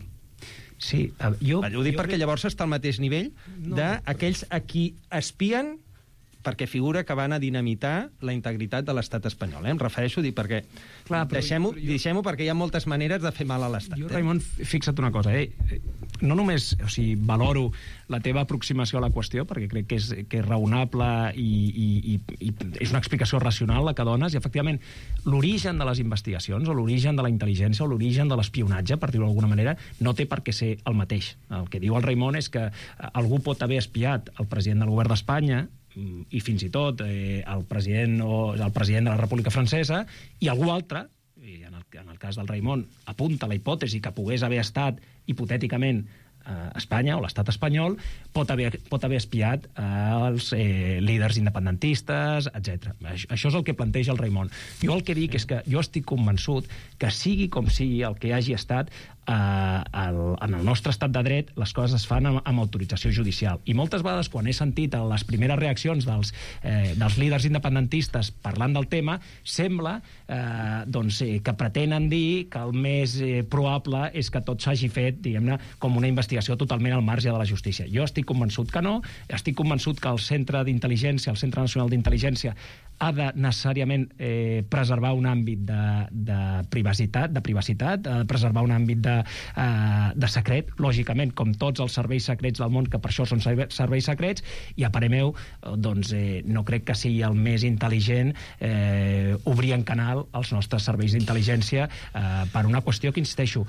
Sí, ho dic perquè llavors està al mateix nivell d'aquells a qui espien perquè figura que van a dinamitar la integritat de l'estat espanyol. Em refereixo a dir perquè... Deixem-ho perquè hi ha moltes maneres de fer mal a l'estat. Jo, Raimon, fixa't una cosa. No només valoro la teva aproximació a la qüestió, perquè crec que és raonable i és una explicació racional la que dones, i efectivament l'origen de les investigacions o l'origen de la intel·ligència o l'origen de l'espionatge, per dir-ho d'alguna manera, no té per què ser el mateix. El que diu el Raimon és que algú pot haver espiat el president del govern d'Espanya i fins i tot el president de la República Francesa, i algú altre, i en el cas del Raimon apunta la hipòtesi que pogués haver estat hipotèticament Espanya o l'estat espanyol, pot haver espiat els líders independentistes, etc. Això és el que planteja el Raimon. Jo el que dic és que jo estic convençut que sigui com sigui el que hagi estat, en el nostre estat de dret les coses es fan amb autorització judicial. I moltes vegades, quan he sentit les primeres reaccions dels líders independentistes parlant del tema, sembla que pretenen dir que el més probable és que tot s'hagi fet, diguem-ne, com una investigació totalment al marge de la justícia. Jo estic convençut que no, estic convençut que el Centre d'Intel·ligència, el Centre Nacional d'Intel·ligència, ha de necessàriament preservar un àmbit de privacitat, ha de preservar un àmbit de secret, lògicament, com tots els serveis secrets del món, que per això són serveis secrets, i a parer meu, no crec que sigui el més intel·ligent obrir en canal els nostres serveis d'intel·ligència per una qüestió que, insisteixo,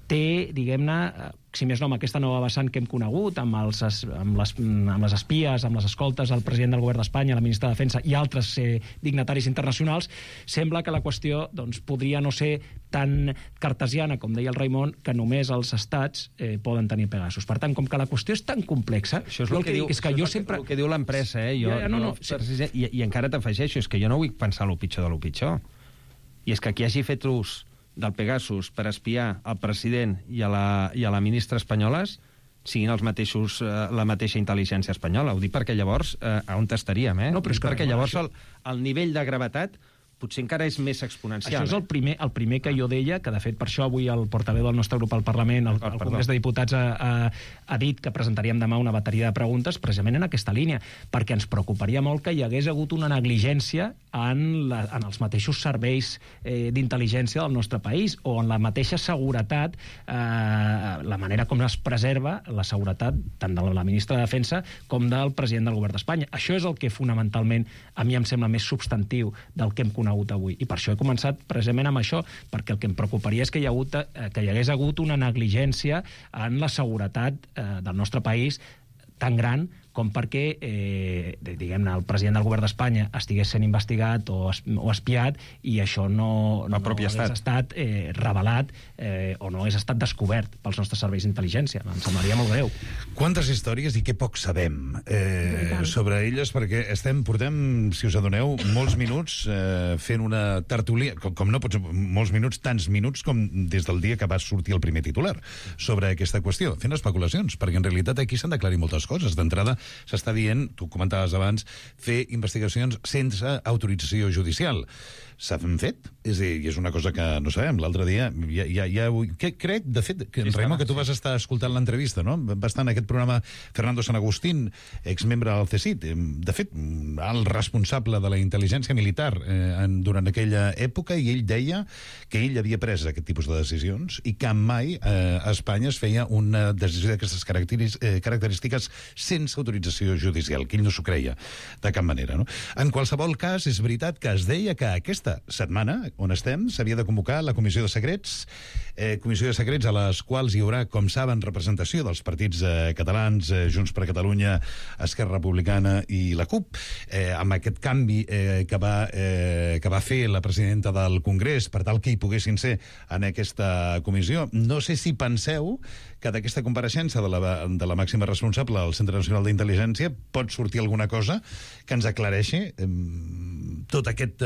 té, diguem-ne, si més no, amb aquesta nova vessant que hem conegut, amb les espies, amb les escoltes al president del govern d'Espanya, la ministra de Defensa i altres dignataris internacionals, sembla que la qüestió podria no ser tan cartesiana, com deia el Raimon, que només els estats poden tenir Pegasus. Per tant, com que la qüestió és tan complexa... Això és el que diu l'empresa, i encara t'afegeixo, és que jo no vull pensar el pitjor de lo pitjor. I és que qui hagi fet ús del Pegasus per espiar el president i a la ministra espanyoles siguin els mateixos, la mateixa intel·ligència espanyola. Ho dic perquè llavors on estaríem, No, però és que perquè llavors el nivell de gravetat potser encara és més exponencial. Això és el primer que jo deia, que de fet per això avui el portaveu del nostre grup al Parlament, al Congrés de Diputats, ha dit que presentaríem demà una bateria de preguntes precisament en aquesta línia, perquè ens preocuparia molt que hi hagués hagut una negligència en els mateixos serveis d'intel·ligència del nostre país, o en la mateixa seguretat, la manera com es preserva la seguretat tant de la ministra de Defensa com del president del govern d'Espanya. Això és el que fonamentalment a mi em sembla més substantiu del que hem conegut conegut avui. I per això he començat precisament amb això, perquè el que em preocuparia és que hi hagués hagut una negligència en la seguretat del nostre país tan gran com perquè, diguem-ne, el president del govern d'Espanya estigués sent investigat o espiat i això no hagués estat revelat o no hagués estat descobert pels nostres serveis d'intel·ligència. Em semblaria molt greu. Quantes històries i què poc sabem sobre elles, perquè portem, si us adoneu, molts minuts fent una tertúlia, com no pots, molts minuts, tants minuts com des del dia que va sortir el primer titular sobre aquesta qüestió, fent especulacions, perquè en realitat aquí s'han d'aclarir moltes coses. D'entrada, s'està dient, tu comentaves abans, fer investigacions sense autorització judicial. S'han fet? És a dir, és una cosa que no sabem. L'altre dia, crec, de fet, que Raimon, que tu vas estar escoltant l'entrevista, no? Va estar en aquest programa Fernando San Agustín, exmembre del CSIC, de fet, el responsable de la intel·ligència militar durant aquella època, i ell deia que ell havia pres aquest tipus de decisions i que mai a Espanya es feia una decisió d'aquestes característiques sense autorització judicial, que ell no s'ho creia de cap manera, no? En qualsevol cas, és veritat que es deia que aquesta setmana, on estem, s'havia de convocar la Comissió de Secrets, a les quals hi haurà, com saben, representació dels partits catalans, Junts per Catalunya, Esquerra Republicana i la CUP, amb aquest canvi que va fer la presidenta del Congrés per tal que hi poguessin ser en aquesta comissió. No sé si penseu que d'aquesta compareixença de la màxima responsable del Centre Nacional d'Intel·ligència pot sortir alguna cosa que ens aclareixi tot aquest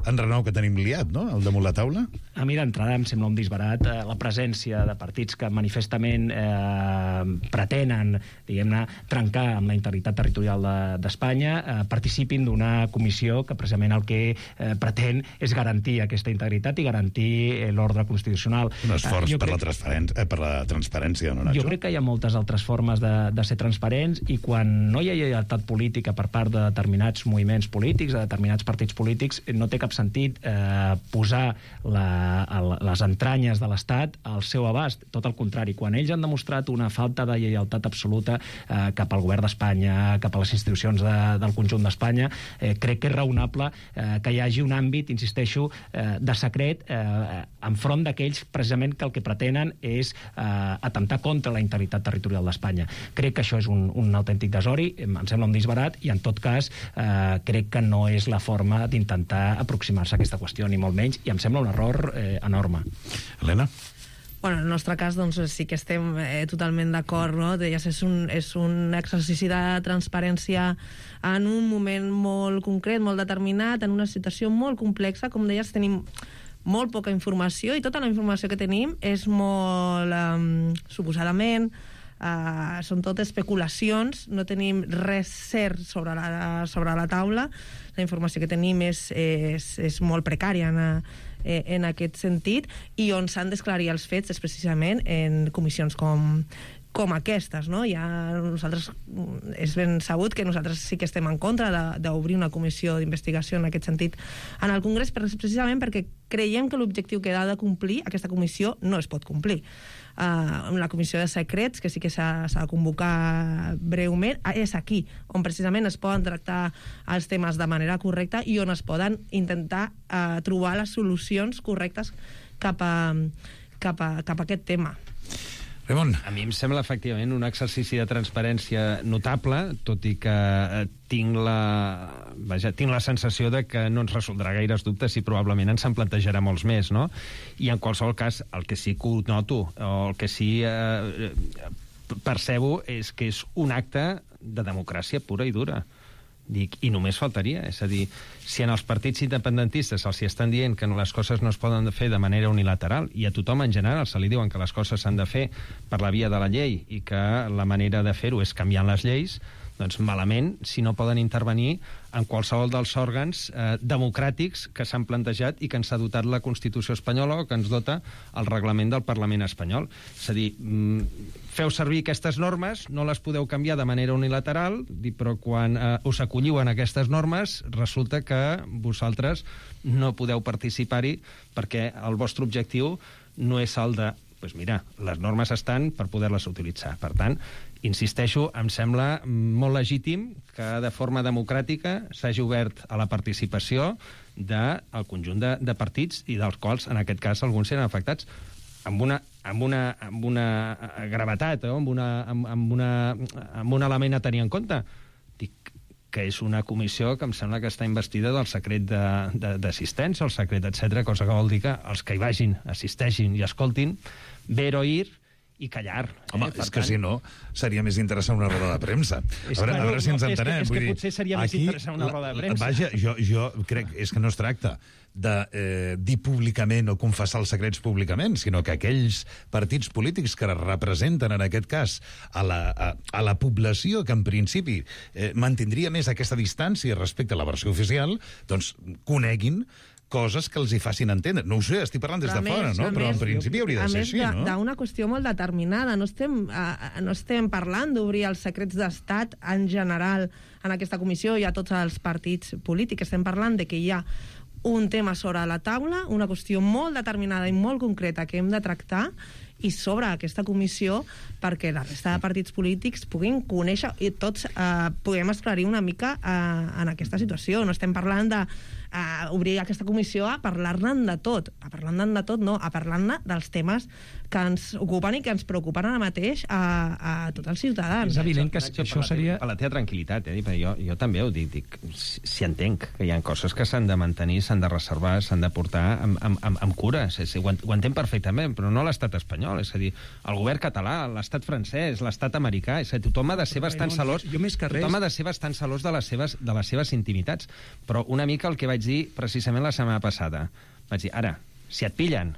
enrenou que tenim liat, no?, al damunt la taula? A mi d'entrada em sembla un disbarat la presència de partits que manifestament pretenen, diguem-ne, trencar amb la integritat territorial d'Espanya, participin d'una comissió que precisament el que pretén és garantir aquesta integritat i garantir l'ordre constitucional. Un esforç per la transparència, no, Nacho? Jo crec que hi ha moltes altres formes de ser transparents, i quan no hi ha lleialtat política per part de determinats moviments polítics, de determinats partits polítics, no té cap sentit posar les entranyes de l'Estat al seu abast. Tot el contrari, quan ells han demostrat una falta de lleialtat absoluta cap al govern d'Espanya, cap a les institucions del conjunt d'Espanya, crec que és raonable que hi hagi un àmbit, insisteixo, de secret enfront d'aquells precisament que el que pretenen és atemptar contra la integritat territorial d'Espanya. Crec que això és un autèntic desori, em sembla un disbarat, i en tot cas crec que no és la forma d'intentar aproximar-se a aquesta qüestió, ni molt menys, i em sembla un error enorme. Helena? Bueno, en el nostre cas, doncs, sí que estem totalment d'acord, no? Deies, és un exercici de transparència en un moment molt concret, molt determinat, en una situació molt complexa. Com deies, tenim molt poca informació, i tota la informació que tenim és molt, suposadament, són tot especulacions, no tenim res cert sobre la taula. La informació que tenim és molt precària en aquest sentit, i on s'han d'esclarir els fets és precisament en comissions com aquestes, no? Nosaltres, és ben sabut que nosaltres sí que estem en contra d'obrir una comissió d'investigació en aquest sentit en el Congrés, precisament perquè creiem que l'objectiu que ha de complir aquesta comissió no es pot complir. La comissió de secrets, que sí que s'ha de convocar breument, és aquí on precisament es poden tractar els temes de manera correcta i on es poden intentar trobar les solucions correctes cap a aquest tema. Raimon. A mi em sembla efectivament un exercici de transparència notable, tot i que tinc la sensació de que no ens resoldrà gaires dubtes i probablement ens en plantejarà molts més, no? I en qualsevol cas, el que sí que ho noto, o el que sí percebo, és que és un acte de democràcia pura i dura. Dic, i només faltaria, és a dir, si en els partits independentistes els hi estan dient que les coses no es poden fer de manera unilateral, i a tothom en general se li diuen que les coses s'han de fer per la via de la llei i que la manera de fer-ho és canviant les lleis, doncs malament si no poden intervenir en qualsevol dels òrgans democràtics que s'han plantejat i que ens ha dotat la Constitució espanyola o que ens dota el reglament del Parlament espanyol. És a dir, feu servir aquestes normes, no les podeu canviar de manera unilateral, però quan us acolliu en aquestes normes resulta que vosaltres no podeu participar-hi perquè el vostre objectiu no és el de, doncs mira, les normes estan per poder-les utilitzar. Per tant, insisteixo, em sembla molt legítim que de forma democràtica s'hagi obert a la participació del conjunt de partits i dels quals, en aquest cas, alguns eren afectats amb una gravetat, amb un element a tenir en compte. Dic que és una comissió que em sembla que està investida del secret d'assistència, el secret, etc., cosa que vol dir que els que hi vagin, assisteixin i escoltin, ver, oír i callar. Home, és que si no, seria més interessant una roda de premsa. A veure si ens entenem. És que potser seria més interessant una roda de premsa. Vaja, jo crec és que no es tracta de dir públicament o confessar els secrets públicament, sinó que aquells partits polítics que representen, en aquest cas, a la població, que en principi mantindria més aquesta distància respecte a la versió oficial, doncs coneguin coses que els hi facin entendre. No ho sé, estic parlant des de fora, no? Però en principi hauria de ser així, no? A més, d'una qüestió molt determinada. No estem parlant d'obrir els secrets d'estat en general en aquesta comissió i a tots els partits polítics. Estem parlant de que hi ha un tema sobre la taula, una qüestió molt determinada i molt concreta que hem de tractar, i sobre aquesta comissió perquè la resta de partits polítics puguin conèixer i tots puguem esclarir una mica en aquesta situació. No estem parlant d'obrir aquesta comissió a parlar-ne de tot. A parlar-ne de tot, no. A parlar-ne dels temes que ens ocupen i que ens preocupen ara mateix a tots els ciutadans. És evident que això seria... Per la teva tranquil·litat, jo també ho dic. Si entenc que hi ha coses que s'han de mantenir, s'han de reservar, s'han de portar amb cura. Ho entenc perfectament, però no l'estat espanyol. És a dir, el govern català, l'estat francès, l'estat americà. És a dir, tothom ha de ser bastant celós. Tothom ha de ser bastant celós de les seves intimitats. Però una mica el que vaig dir precisament la setmana passada. Vaig dir, ara, si et pillen,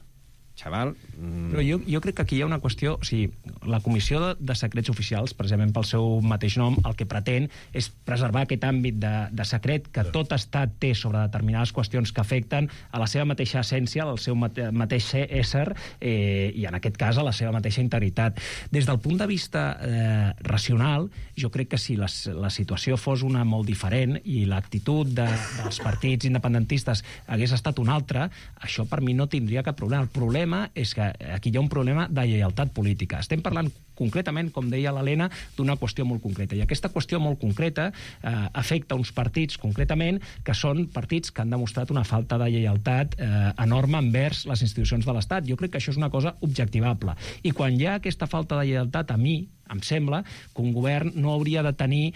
xaval... Però jo crec que aquí hi ha una qüestió... O sigui, la Comissió de Secrets Oficials, precisament pel seu mateix nom, el que pretén és preservar aquest àmbit de secret que tot estat té sobre determinades qüestions que afecten a la seva mateixa essència, al seu mateix ésser, i en aquest cas a la seva mateixa integritat. Des del punt de vista racional, jo crec que si la situació fos una molt diferent i l'actitud dels partits independentistes hagués estat una altra, això per mi no tindria cap problema. El problema és que aquí hi ha un problema de lleialtat política. Estem parlant concretament, com deia l'Helena, d'una qüestió molt concreta. I aquesta qüestió molt concreta afecta uns partits, concretament, que són partits que han demostrat una falta de lleialtat enorme envers les institucions de l'Estat. Jo crec que això és una cosa objectivable. I quan hi ha aquesta falta de lleialtat, a mi em sembla que un govern no hauria de tenir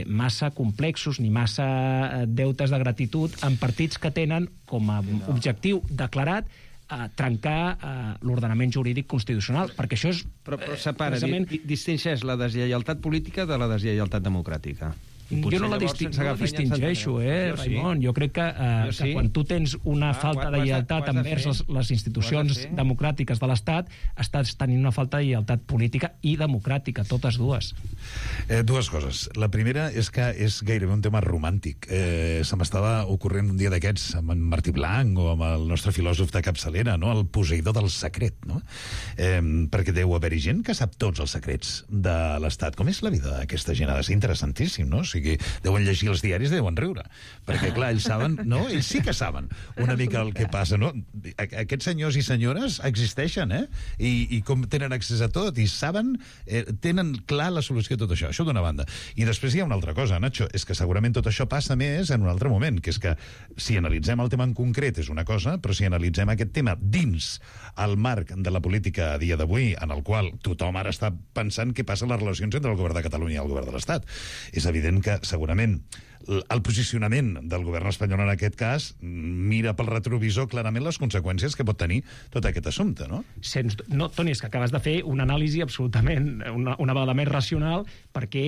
massa complexos ni massa deutes de gratitud en partits que tenen com a objectiu declarat trencar l'ordenament jurídic constitucional, perquè això és... Però separa, distingeix la deslleialtat política de la deslleialtat democràtica. Jo no la distingeixo, Raimon. Jo crec que quan tu tens una falta de lleialtat envers les institucions democràtiques de l'Estat, estàs tenint una falta de lleialtat política i democràtica, totes dues. Dues coses. La primera és que és gairebé un tema romàntic. Se m'estava ocorrent un dia d'aquests amb en Martí Blanc o amb el nostre filòsof de capçalera, no? El posseïdor del secret, no? Perquè deu haver-hi gent que sap tots els secrets de l'Estat. Com és la vida d'aquesta gent? Ha de ser interessantíssim, no? O sigui, deuen llegir els diaris i deuen riure. Perquè, clar, ells saben... No, ells sí que saben una mica el que passa, no? Aquests senyors i senyores existeixen, I com tenen accés a tot, i saben, tenen clar la solució a tot això. Això d'una banda. I després hi ha una altra cosa, Nacho, és que segurament tot això passa més en un altre moment, que és que si analitzem el tema en concret és una cosa, però si analitzem aquest tema dins el marc de la política a dia d'avui, en el qual tothom ara està pensant què passa a les relacions entre el govern de Catalunya i el govern de l'Estat. És evident que segurament el posicionament del govern espanyol en aquest cas mira pel retrovisor clarament les conseqüències que pot tenir tot aquest assumpte, no? No, Toni, és que acabes de fer una anàlisi absolutament, una vegada més racional, perquè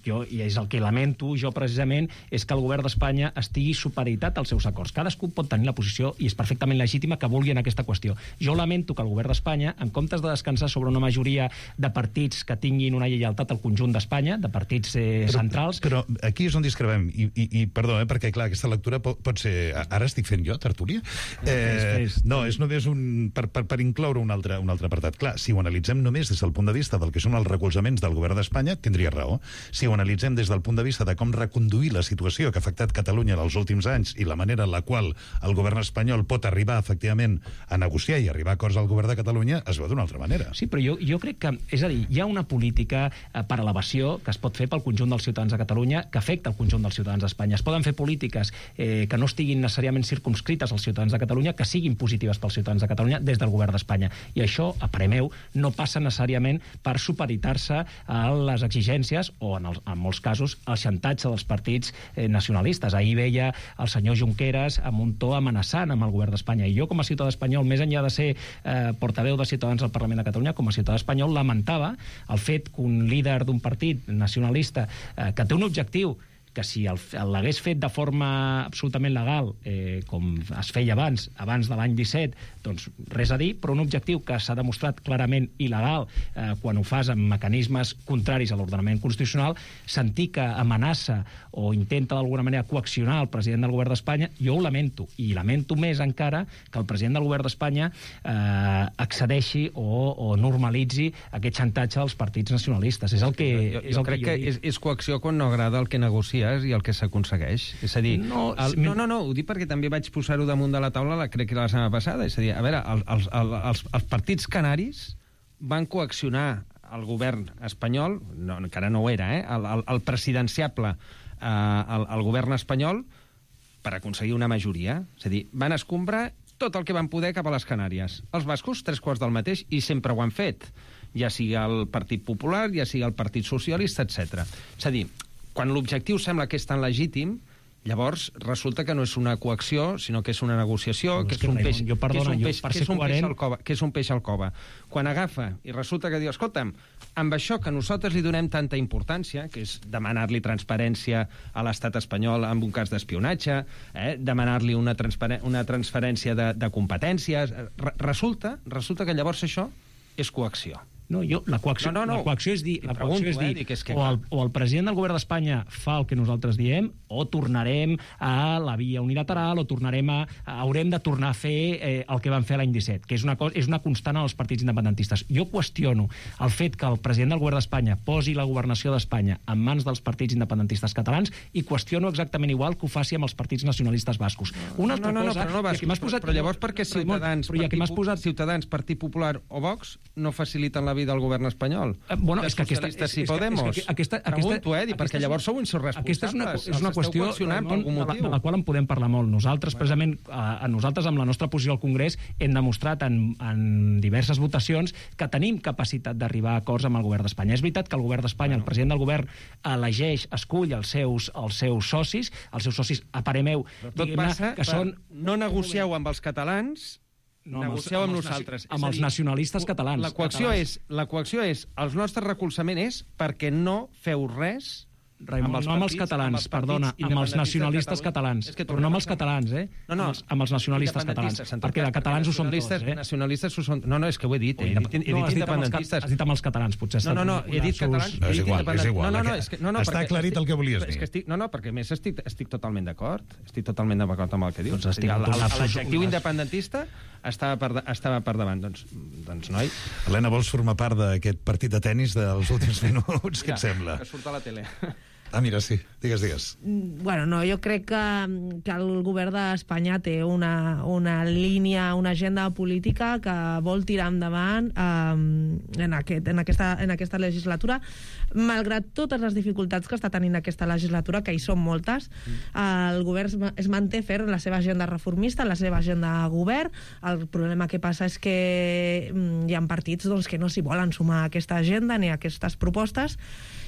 jo, i és el que lamento jo precisament, és que el govern d'Espanya estigui supeditat als seus acords. Cadascú pot tenir la posició, i és perfectament legítima, que vulgui en aquesta qüestió. Jo lamento que el govern d'Espanya, en comptes de descansar sobre una majoria de partits que tinguin una lleialtat al conjunt d'Espanya, de partits centrals... Però aquí és on discrepem parlem. I perdó, perquè, clar, aquesta lectura pot ser... Ara estic fent jo, tertúlia? No, és només per incloure un altre apartat. Clar, si ho analitzem només des del punt de vista del que són els recolzaments del govern d'Espanya, tindria raó. Si ho analitzem des del punt de vista de com reconduir la situació que ha afectat Catalunya en els últims anys i la manera en la qual el govern espanyol pot arribar, efectivament, a negociar i arribar a acords al govern de Catalunya, es veu d'una altra manera. Sí, però jo crec que, és a dir, hi ha una política per elevació que es pot fer pel conjunt dels ciutadans de Catalunya, que afecta el conjunt dels ciutadans d'Espanya. Es poden fer polítiques que no estiguin necessàriament circumscrites als ciutadans de Catalunya, que siguin positives pels ciutadans de Catalunya des del govern d'Espanya. I això, a parer meu, no passa necessàriament per supeditar-se a les exigències o, en molts casos, al xantatge dels partits nacionalistes. Ahir veia el senyor Junqueras amb un to amenaçant amb el govern d'Espanya. I jo, com a ciutadà espanyol, més enllà de ser portaveu de Ciutadans al Parlament de Catalunya, com a ciutadà espanyol, lamentava el fet que un líder d'un partit nacionalista que té un objectiu que si l'hagués fet de forma absolutament legal, com es feia abans de l'any 17, doncs res a dir, però un objectiu que s'ha demostrat clarament il·legal quan ho fas amb mecanismes contraris a l'ordenament constitucional, sentir que amenaça o intenta d'alguna manera coaccionar el president del govern d'Espanya, jo ho lamento, i lamento més encara que el president del govern d'Espanya accedeixi o normalitzi aquest xantatge dels partits nacionalistes. És el que jo crec que és coacció quan no agrada el que negocia i el que s'aconsegueix. És a dir, no, ho dic perquè també vaig posar-ho damunt de la taula, crec que la setmana passada. És a dir, a veure, els partits canaris van coaccionar el govern espanyol, encara no ho era, el presidenciable, el govern espanyol, per aconseguir una majoria. És a dir, van escombrar tot el que van poder cap a les Canàries. Els bascos, 3/4 del mateix, i sempre ho han fet. Ja sigui el Partit Popular, ja sigui el Partit Socialista, etc. És a dir, quan l'objectiu sembla que és tan legítim, llavors resulta que no és una coacció, sinó que és una negociació, que és un peix al cova. Quan agafa i resulta que diu, escolta'm, amb això que nosaltres li donem tanta importància, que és demanar-li transparència a l'estat espanyol en un cas d'espionatge, demanar-li una transferència de competències, resulta que llavors això és coacció. No, la coacció és dir, o el president del govern d'Espanya fa el que nosaltres diem, o tornarem a la via unilateral, o haurem de tornar a fer el que van fer l'any 17, que és una constant en els partits independentistes. Jo qüestiono el fet que el president del govern d'Espanya posi la governació d'Espanya en mans dels partits independentistes catalans i qüestiono exactament igual que ho faci amb els partits nacionalistes bascos. Però llavors perquè Ciutadans, Partit Popular o Vox no faciliten la vida al govern espanyol. És que socialistes i Podemos. Pregunto, perquè llavors sou insurresponsables. Aquesta és una qüestió de la qual en podem parlar molt. Nosaltres, precisament, amb la nostra posició al Congrés, hem demostrat en diverses votacions que tenim capacitat d'arribar a acords amb el govern d'Espanya. És veritat que el govern d'Espanya, el president del govern, escull els seus socis, a parer meu, que són... No negocieu amb els catalans, negocieu amb nosaltres. Amb els nacionalistes catalans. La coacció és, el nostre recolzament és perquè no feu res... Raimon, no amb els catalans, perdona, amb els nacionalistes catalans. Però no amb els catalans, amb els nacionalistes catalans. Perquè de catalans ho són tots, nacionalistes ho són... No, és que ho he dit, he dit independentistes. Has dit amb els catalans, potser. No, he dit catalans... És igual. Està aclarit el que volies dir. No, perquè més estic totalment d'acord. Estic totalment d'acord amb el que dius. L'adjectiu independentista estava per davant. Doncs, noi... Helena, vols formar part d'aquest partit de tennis dels últims minuts? Què et sembla? Que surt a la tele. Mira, sí. Digues. Bueno, no, jo crec que el govern d'Espanya té una línia, una agenda política que vol tirar endavant en aquesta legislatura, malgrat totes les dificultats que està tenint aquesta legislatura, que hi són moltes. El govern es manté ferm la seva agenda reformista, la seva agenda de govern. El problema que passa és que hi ha partits que no s'hi volen sumar a aquesta agenda ni a aquestes propostes,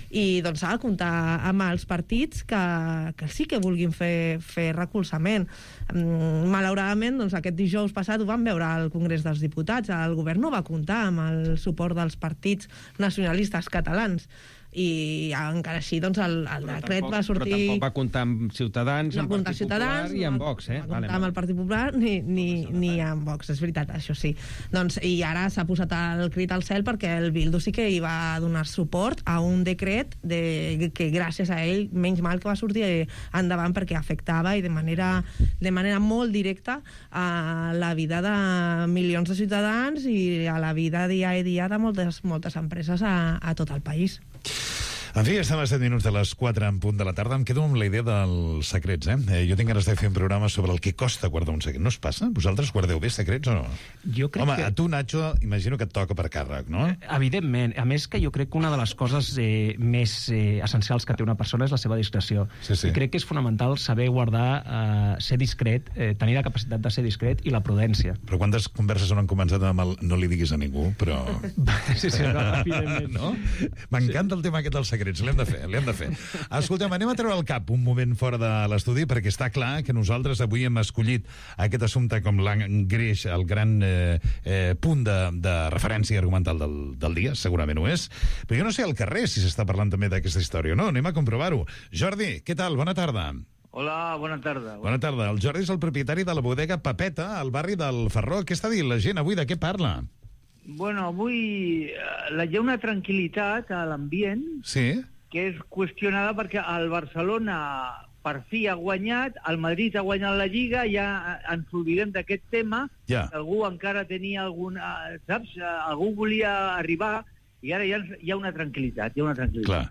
i doncs s'ha de comptar amb els partits que sí que vulguin fer recolzament. Malauradament, doncs, aquest dijous passat ho vam veure al Congrés dels Diputats. El govern no va comptar amb el suport dels partits nacionalistes catalans. i encara així doncs, el decret va sortir... Però tampoc va comptar amb Ciutadans, no amb Partit Popular i amb Vox, No va comptar amb el Partit Popular ni amb Vox, és veritat, això sí. Doncs, i ara s'ha posat el crit al cel perquè el Bildu sí que hi va donar suport a un decret que gràcies a ell, menys mal que va sortir endavant perquè afectava i de manera molt directa a la vida de milions de ciutadans i a la vida dia a dia de moltes empreses a tot el país. En fi, estem a 7 minuts de les 4 en punt de la tarda. Em quedo amb la idea dels secrets, Jo tinc ganes de fer un programa sobre el que costa guardar un secret. No us passa? Vosaltres guardeu bé secrets o no? Jo crec a tu, Nacho, imagino que et toca per càrrec, no? Evidentment. A més que jo crec que una de les coses més essencials que té una persona és la seva discreció. Sí. I crec que és fonamental saber guardar, ser discret, tenir la capacitat de ser discret i la prudència. Però quantes converses on han començat amb el no li diguis a ningú, però... Sí, evidentment. No? M'encanta el tema aquest dels secrets. L'hem de fer. Escoltem, anem a treure el cap un moment fora de l'estudi, perquè està clar que nosaltres avui hem escollit aquest assumpte com l'engreix, el gran punt de referència argumental del dia, segurament ho és. Però jo no sé al carrer si s'està parlant també d'aquesta història o no. Anem a comprovar-ho. Jordi, què tal? Bona tarda. Hola, bona tarda. Bona tarda. El Jordi és el propietari de la bodega Pepeta, al barri del Ferró. Què està dient la gent avui? De què parla? Bueno, avui hi ha una tranquil·litat a l'ambient que és qüestionada perquè el Barcelona per fi ha guanyat, el Madrid ha guanyat la Lliga, ja ens oblidem d'aquest tema, algú encara tenia saps? Algú volia arribar i ara hi ha una tranquil·litat, Clar.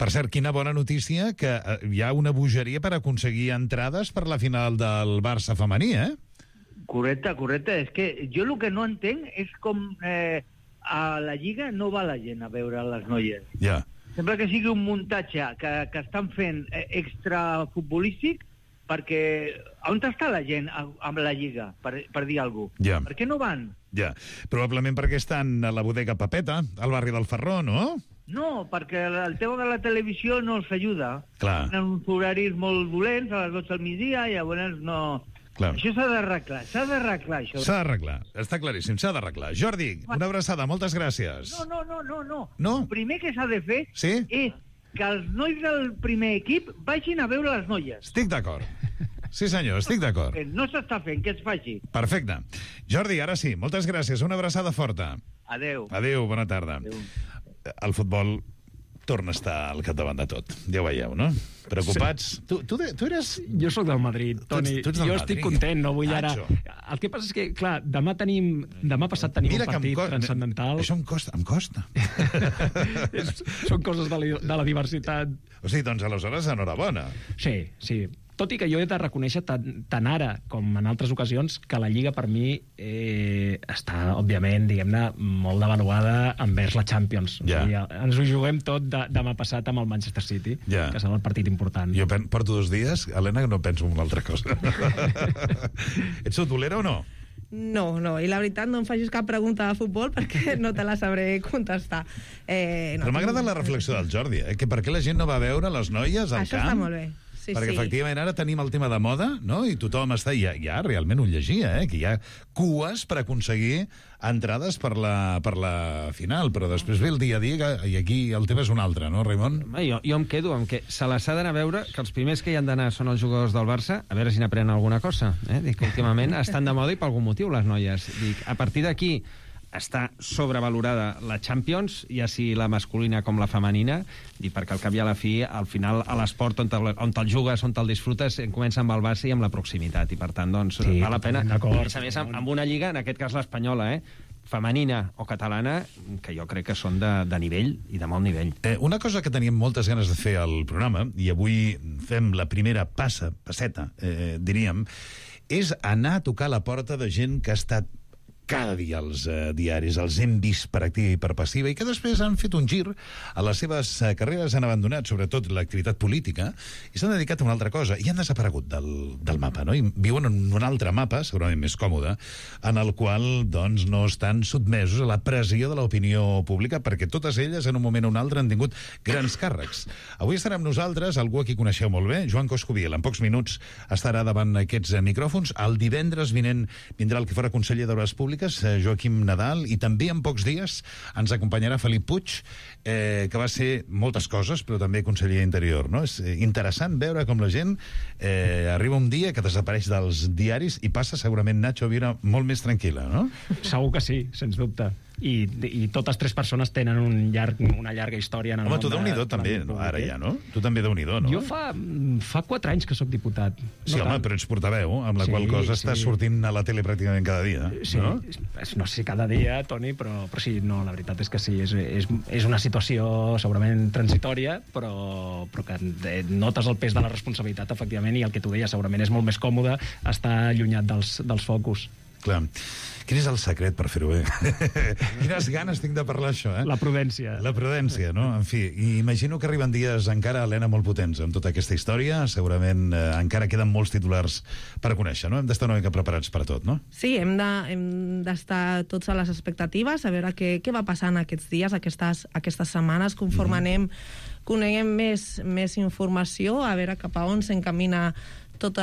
Per cert, quina bona notícia que hi ha una bogeria per aconseguir entrades per la final del Barça femení, Correcte. És que jo el que no entenc és com a la Lliga no va la gent a veure les noies. Sembla que sigui un muntatge que estan fent extrafutbolístic perquè... On està la gent amb la Lliga, per dir alguna cosa? Per què no van? Probablement perquè estan a la bodega Pepeta, al barri del Ferró, no? No, perquè el tema de la televisió no els ajuda. Tenen uns horaris molt dolents, a les 12 del migdia, i llavors no... Això s'ha d'arreglar, això. S'ha d'arreglar, està claríssim, s'ha d'arreglar. Jordi, una abraçada, moltes gràcies. No. El primer que s'ha de fer és que els nois del primer equip vagin a veure les noies. Estic d'acord. Sí, senyor, estic d'acord. No s'està fent, que es faci. Perfecte. Jordi, ara sí, moltes gràcies, una abraçada forta. Adéu. Adéu, bona tarda. El futbol torna a estar al capdavant de tot. Ja ho veieu, no? Preocupats? Sí. Tu eres... Jo sóc del Madrid, Toni. Tu ets del Madrid. Estic content, no vull ara... El que passa és que, clar, demà passat tenim un partit transcendental. Això em costa. Són coses de la diversitat. O sigui, doncs, aleshores, enhorabona. Sí. Tot i que jo he de reconèixer tant ara com en altres ocasions que la Lliga per mi està, òbviament, diguem-ne, molt devaluada envers la Champions. O sigui, ens ho juguem tot demà passat amb el Manchester City, que serà el partit important. Jo porto 2 dies, Helena, que no penso en una altra cosa. Ets futbolera o no? No, i la veritat no em facis cap pregunta de futbol perquè no te la sabré contestar. Però m'agrada la reflexió del Jordi, que per què la gent no va veure les noies al camp? Això està molt bé. Perquè efectivament ara tenim el tema de moda, no? I tothom està... Ja realment ho llegia, que hi ha cues per aconseguir entrades per la final, però després ve el dia a dia i aquí el tema és un altre, no, Raimon? Jo em quedo amb que se les ha d'anar a veure, que els primers que hi han d'anar són els jugadors del Barça, a veure si n'aprenen alguna cosa. Dic que últimament estan de moda i per algun motiu les noies. Dic, a partir d'aquí està sobrevalorada la Champions, ja sigui la masculina com la femenina, i perquè al cap i a la fi, al final, a l'esport on te'l jugues, on te'l disfrutes, comença amb el base i amb la proximitat, i per tant, doncs, val la pena. A més, amb una lliga, en aquest cas l'espanyola, femenina o catalana, que jo crec que són de nivell i de molt nivell. Una cosa que teníem moltes ganes de fer al programa, i avui fem la primera passeta, diríem, és anar a tocar la porta de gent que ha estat cada dia als diaris, els hem vist per activa i per passiva, i que després han fet un gir a les seves carreres, han abandonat sobretot l'activitat política i s'han dedicat a una altra cosa, i han desaparegut del mapa, no? I viuen en un altre mapa, segurament més còmode, en el qual, doncs, no estan sotmesos a la pressió de l'opinió pública, perquè totes elles, en un moment o un altre, han tingut grans càrrecs. Avui estarà amb nosaltres algú a qui coneixeu molt bé, Joan Coscubiela. En pocs minuts estarà davant aquests micròfons. El divendres vinent vindrà el que fora conseller d'Obres Públiques, Comarques, Joaquim Nadal, i també en pocs dies ens acompanyarà Felip Puig, que va ser moltes coses, però també conseller d'Interior, no? És interessant veure com la gent arriba un dia que desapareix dels diaris i passa segurament, Nacho, a viure molt més tranquil·la, no? Segur que sí, sens dubte. I totes tres persones tenen una llarga història en el Home, món. tu Déu-n'hi-do també, ara ja, no? Tu també Déu-n'hi-do, no? Jo fa 4 anys que sóc diputat. Sí, home, però ets portaveu, amb la qual cosa estàs sortint a la tele pràcticament cada dia, sí, no? No sé si cada dia, Toni, però sí, no, la veritat és que sí, és una situació segurament transitòria, però que notes el pes de la responsabilitat, efectivament, i el que tu deies, segurament és molt més còmode estar allunyat dels focus. Clar. Quin és el secret per fer-ho bé? Quines ganes tinc de parlar això, La prudència. La prudència, no? En fi, imagino que arriben dies encara, Helena, molt potents amb tota aquesta història. Segurament encara queden molts titulars per conèixer, no? Hem d'estar una mica preparats per a tot, no? Sí, hem d'estar tots a les expectatives, a veure què va passar en aquests dies, aquestes setmanes, conforme coneguem més informació, a veure cap a on s'encamina tot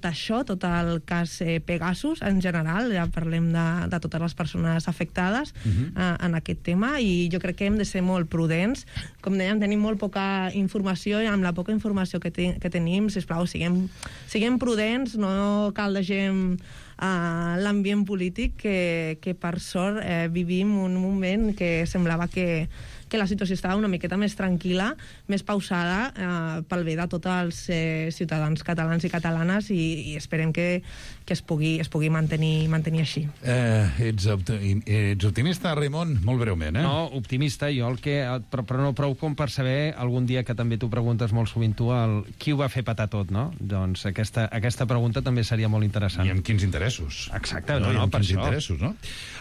això, tot el cas Pegasus en general, ja parlem de totes les persones afectades en aquest tema, i jo crec que hem de ser molt prudents. Com dèiem, tenim molt poca informació, i amb la poca informació que tenim, sisplau, siguem prudents, no caldegem l'ambient polític, que per sort vivim un moment que semblava que la situació estava una miqueta més tranquil·la, més pausada, pel bé de tots els ciutadans catalans i catalanes, i esperem que es pugui mantenir així. Ets optimista, Raimon? Molt breument, No, optimista, jo però no prou com per saber, algun dia que també t'ho preguntes molt sovint tu, qui ho va fer petar tot, no? Doncs aquesta pregunta també seria molt interessant. I amb quins interessos? Exacte, no, per quins això. Interessos, no?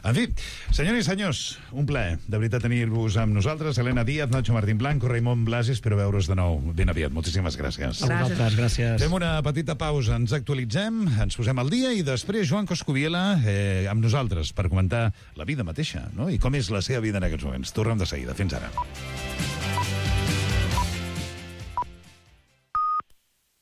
En fi, senyores i senyors, un plaer, de veritat, tenir-vos amb nosaltres. Helena Díaz, Nacho Martín Blanco, Raimon Blasi, espero veure's de nou ben aviat. Moltíssimes gràcies. A vosaltres, gràcies. Fem una petita pausa, ens actualitzem, ens posem al dia, i després Joan Coscubiela amb nosaltres per comentar la vida mateixa, no? I com és la seva vida en aquests moments. Tornem de seguida. Fins ara.